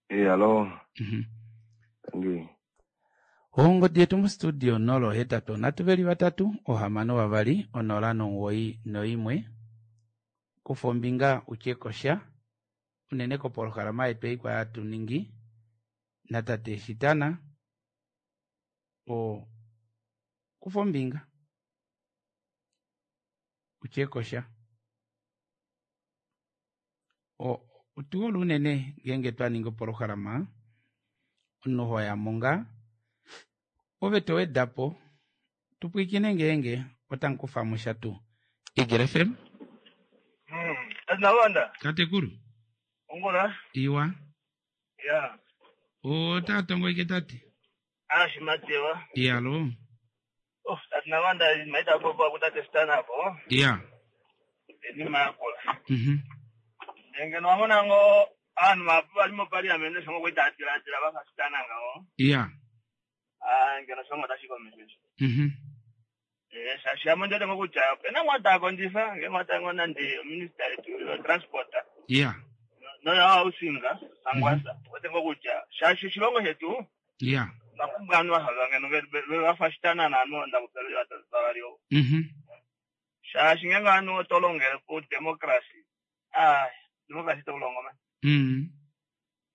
E hallo. Tangi. Ongodi yetu mostudio 083 3 6 2 091. Kufa ombinga utye kosha unene kopolohalama yetu ei kwa hatu ningi natate Shitana. O kufa ombinga utye kosha. Otu hole unene ngeenge twa ningi opolohalama omunhu ho ya mo ngaa ove to weda po tu pwiikine ngeenge otamu kufa mo sha tuu. Eagle FM. Nalwanda. Tatekulu. Ongula. Iwa. Ya. Ota tongo ike tate. Ashimatewa. Iyalo. Oh, tate Nalwanda maita popo akutate stana apo. Ya. Enima yakola. Ndenge nwamona ngo anhu mapu bali mu parliament songo kwitatilatila bakasitana ngawo. Ya. Ah, ngeno songo tashikomesesha. Shashi amo ndete ngokutya pena mwata akondisa nge mwata ngona ndi minister yetu transport. Ya. Noya hausinga angwasa. Wote ngokutya shashi shilongo shetu Ya. vakumbwanwa hava ngeno vafashitana nanu ndakupela vavaliwo. Shashi ngenge anu otolongele ku democracy. Ah, democracy tokulongo man.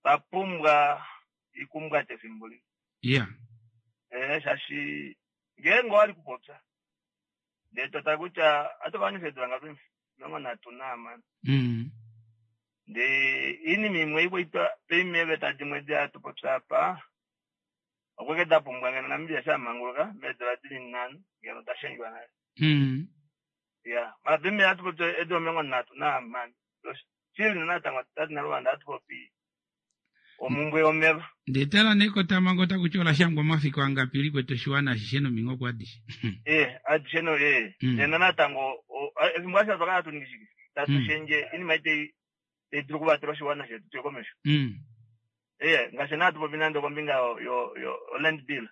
Vapumbwa ikumbwa tefimbo limwe. Ya. Shashi ngenge wali kupopya. Ndee tota kutya atovanisa edula ngapi 38. Ndee inima imwe ikwaitwa peimeveta dimwe diatupopya apa okweke dapumbwa ngeno Namibia shamanguluka meedula dili 5 ngeno dashendjwa nale. Ya, mara pime atupopya edula 36. Chili natango tati Nalwanda atupopi omumbwe yomeva. Ndetala nekotama takuti olashangwa omafiku angapi likwetu oshiwana ashishe nominghoko adishe. Adishe no nena natango efimbo ashe twakala hatu shike tatu shendje inima ite dulu kuvatela oshiwana shetu tuye komesho. Ngaashi naa tupopi nande kombinga yo yo land bill.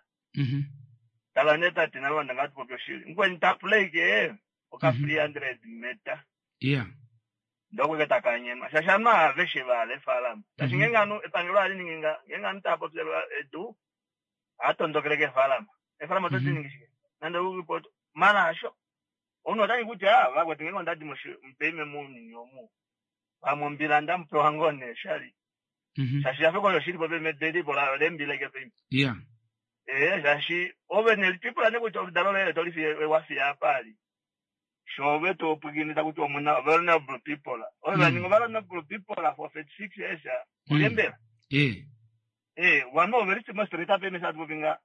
Tala nee tate Nalwanda ngaa tupopi oshili. Mukweni tapuleke oka 300 meter. Ya. Ndokweke takanyenwa. Shaashi anu aveshe vahala efaalama. Shaashi ngenge anu epangelo ohali ningi nga ngenge anu taapopyelwa edu ohatondokeleke efaalama. Efaalama otodi ningi shike? Nande uripot mara hasho. Omunhu otangi kutya vakwetu ngenge ondadi mupeime mounyuni omu. Vamwe ombila ndamupewa ngoo nee shali. Shaashi afeko osho shilipo peme delipo lembila ike peime. Ya. Shaashi ove nelitwipula nee kutya oludalo loye tolifiye wafiya apa ali. Shove topwikinita kuti omuna vulnerable people. Ove vaninga vulnerable people for 36 years. Olembela. Vamwe ove li mostreet apa eme shatupopinga.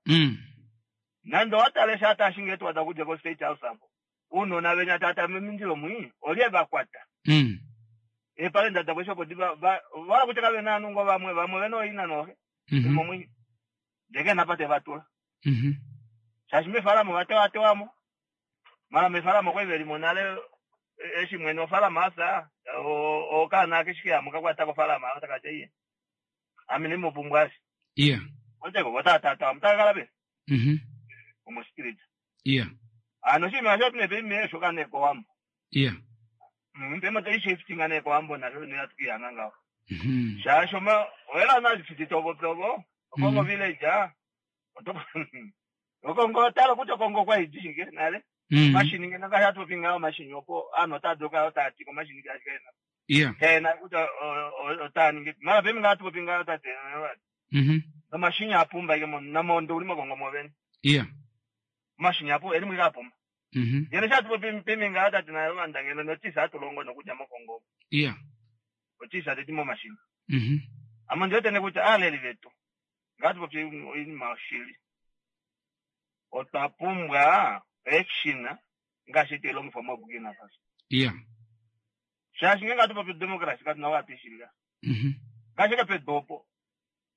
Nande owatala eshi atashinga etwada kudja ko state house apo. Uunona venya tata memindilo mwi olye vakwata. Epale ndada kwesho podi wala kutya kave na anungo vamwe vamwe vena oina nohe. Momwi. Ndeke napate vatula. Shaashi mefalamo vatewatewamo. Mara mefalamo kwai velimo nale eshi mwene ofalama asa okaana keshike kakwata kofalama otakatya iye. Ame nimupumbwa ashi. Ya. Oteko votatata mutakakala pe. Omo street. Ya. Ano shima sho tune pe shoka ne kowambo. Ya. Mpema tai shifting ane kowambo na ne atukiyanga ngaho. Shasho ma wela na fiti tobo tobo. Okongo village ah. Okongo talo kuti okongo kwa ijinge nale. Mashini ngena ka yatopinga mashini opo ano tadoka otati ko mashini ka kena. Ya. Kena kuti otani mara pemi ngatopinga otate. No mashini apumba ike na mondo uli makongo moveni. Ya. Mashini apo eri mwika apumba. Yene chatupo pimi ngatati nayo vandangeno notisa atulongo nokudya mokongo. Ya. Otisa tetimo mashini. Amo ndiyotene kuti aleli vetu. Ngatupo inima oshili. Otwapumbwa action ngaashi teilongifwa moBurkina Faso. Ya. Shaashi ngenge atupopi democracy katuna wapishilila. Ngaashi kepedopo.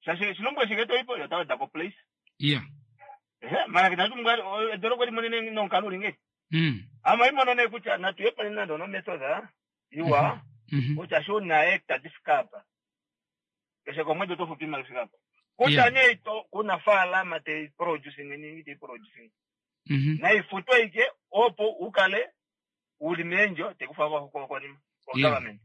Shaashi shilongo shike toipo yotaweda ko place. Ya. Mara kitatumbwa edoroko limonene nonkalo linge. Ama imonone kutya natuye nando no method iwa kutya sho na hectare difikapa. Keshe komwedi otofupi imali fikapa. Kutya nee to kuna faalama te producing ningi te producing. Na ifutwe ike opo ukale ulimenjo tekufa kwa konima kwa government.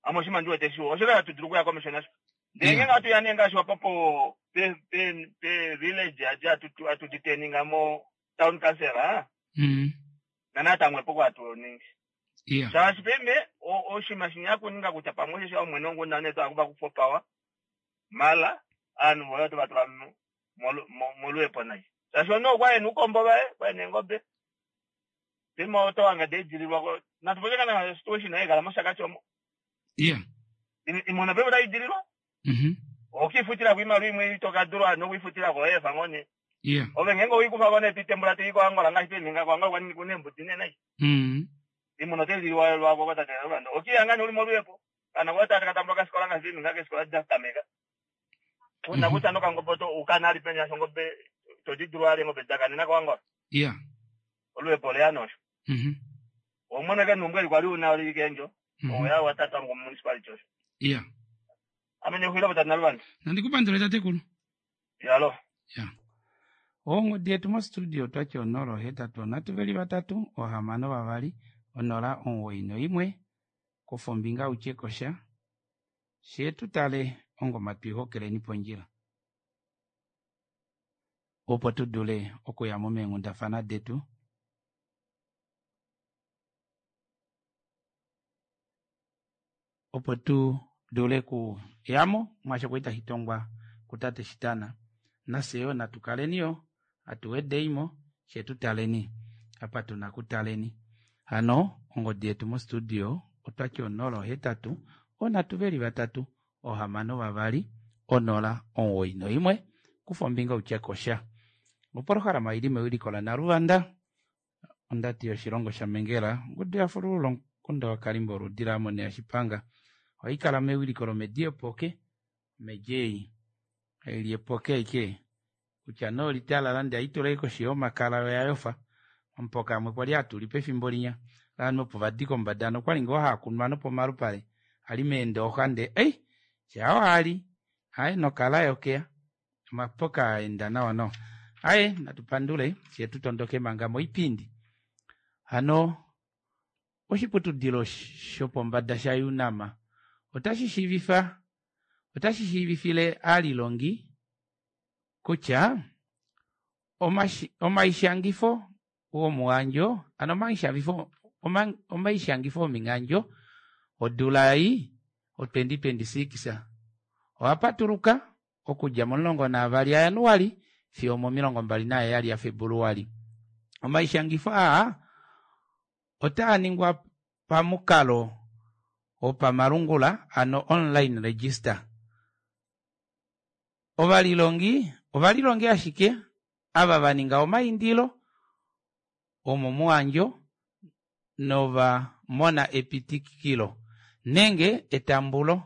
Amo shima ndiwe teshu osho tudulu kuya commissioner. Ndenge ngatu yanenga shwa papo pe pe pe village aja atu atuditeninga mo town council Na natamwe poko atu ningi. Yeah. Shaashi peme oshima shinyakuninga kutya pamwe shesha omwene ongunda neto akuba kufa power. Mala anu voyo tovatula molwepo naye. Shaashi ono kwaye ukombo vaye kwaye nengobe. Pema otowanga deidililwa natupoke kana situation naye kala moshakati omo. Yeah. Imona pema taidililwa. Okifutira kuimali imwe itokadulwa nokuifutira koefa ngone. Yeah. Ove ngeenge oikufa ko nee toitembula toi koAngola ngaashi toininga koAngola kwa kuna eembudi nee nai. Mm. Imuna otai liwa lwako tate Naluvanda. Okiya ngani uli molweepo. Kana kwa tate katambula kasikola ngaashi toininga keesikola da tameka. Kuna kutya nokangobe to ukana ali penya shongobe todi dulu ali engobe dakanena koAngola. Yeah. Olweepo oleya nosho. Mhm. Omwene ke numbwe li kwali una oli kendjo. Mhm. Oya watata ngo municipality osho. Yeah. Ame nexwila po tate Naluvanda. Nandikupandule tatekulu. Yalo. Ya. Ongodi yetu mostudio otwati 083 3 6 2 091 kufa ombinga utye kosha shee tutale ongoma twiihokeleni pondjila opo tu dule okuyamo meenghundafana detu opo tu dule kuyamo mwaasho kwali tashi tongwa kutate Shitana nafye yoo natu kaleni yo hatu wedeimo shee tutaleni apa tuna kutaleni hano ongodi yetu mostudio otwati 083 3 6 2 091 kufa ombinga utye kosha. Opolohalama oili mewiliko laNaluvanda ondati yoshilongo shaMengela ongudu yafululula omukunda waKalimba oludi laAmoni yaShipanga ohaikala mewiliko lomedi yepoke omedi ei haili epoke aike kutya nee olitalala ndee haitula koshi yomakala oyayofa omupoka amwe kwali hatuli pefimbo linya ovanhu opo vadi kombada nokwali ngoo haakunwa nopomalupale ali meendooxa ndee ei shaa waali aye nokala yokeya omapoka aenda nawa nawa aye natu pandule fyee tutondoke manga moipindi hano oshiputudilo shopombada sha UNAM otashi shiivifa otashi shiivifile aalilongi kutya omaishangifo womuhandjo ano omaishangifo omaishangifo ominghandjo odula ei o 2026 oapatuluka okudja momulongo naavali aJanuali fiyo omomilongo mbali naheyali yaFebuluali. Omaishangifo aa otaa ningwa pamukalo wopamalungula ano online register. Ovalilongi ovalilongi ashike ava vaninga omaindilo omomuhandjo nova mona epitikilo nenge etambulo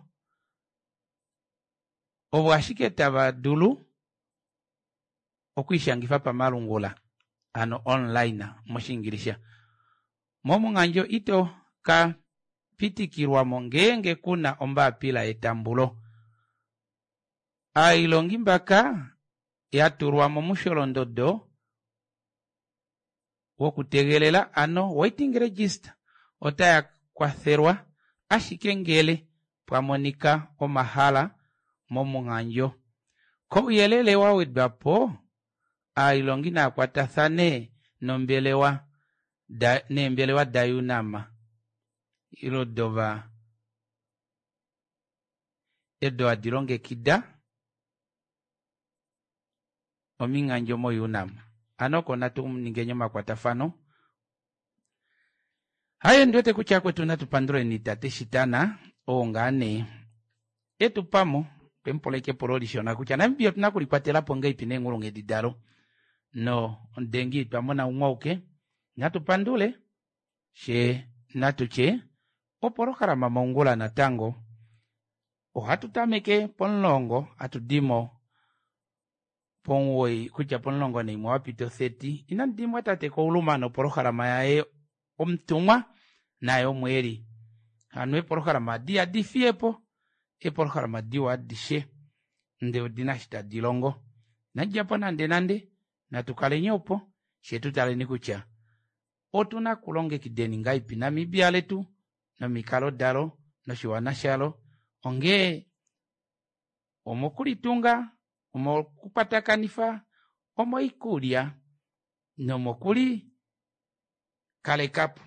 ovo ashike tava dulu okwiishangifa pamalungula ano online moshiingilisha. Momuhandjo ito ka pitikilwamo ngeenge kuna ombapila yetambulo. Aailongi mbaka yatulwa momusholondodo wokutegelela ano waiting register otaya kwathelwa ashike ngele pwa monika omahala momuhandjo. Kouyelele wa wedwapo aailongi naakwatathane nombelewa da neembelewa da UNAM ilo dova edo hadi longekida ominghandjo mo UNAM. Ano oko natu ningeni omakwatafano. Haye ndiwete kutya kwetu natu panduleni tate Shitana oo ngaa nee etupamo twemupula ashike epulo lishona kutya Namibia otuna okulikwatelapo ngahelipi neenghulunghedi dalo no omudengi twamona umwe auke natu pandule shee natutye opolohalama mongula natango ohatu tameke pomulongo hatudimo pomuwoi kutya pomulongo naimwe wapita otheti inandi tate Kouluma nopolohalama yaye omutumwa naye omweeli hano eepolohalama adi ihadi fiyepo eepolohalama diwa adishe ndee odina eshi tadi longo inadidjapo nande nande natu kaleni opo fyee tutaleni kutya otuna kulongekideni ngahelipi Namibia letu nomikalo dalo noshiwana shalo onghee omokulitunga omokukwatakanifa omoikulya nomokuli kalekapo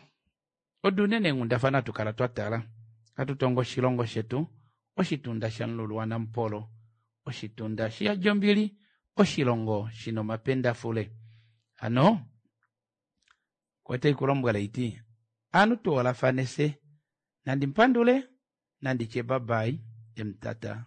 odo unene eenghundafana hatu kala twatala hatu tongo oshilongo shetu oshitunda shamululu waNamupolo oshitunda shiyadi ombili oshilongo shina omapendafule hano otai kulombwela iti ovanhu tuholafane fye nandi mupandule nanditye babai emutata.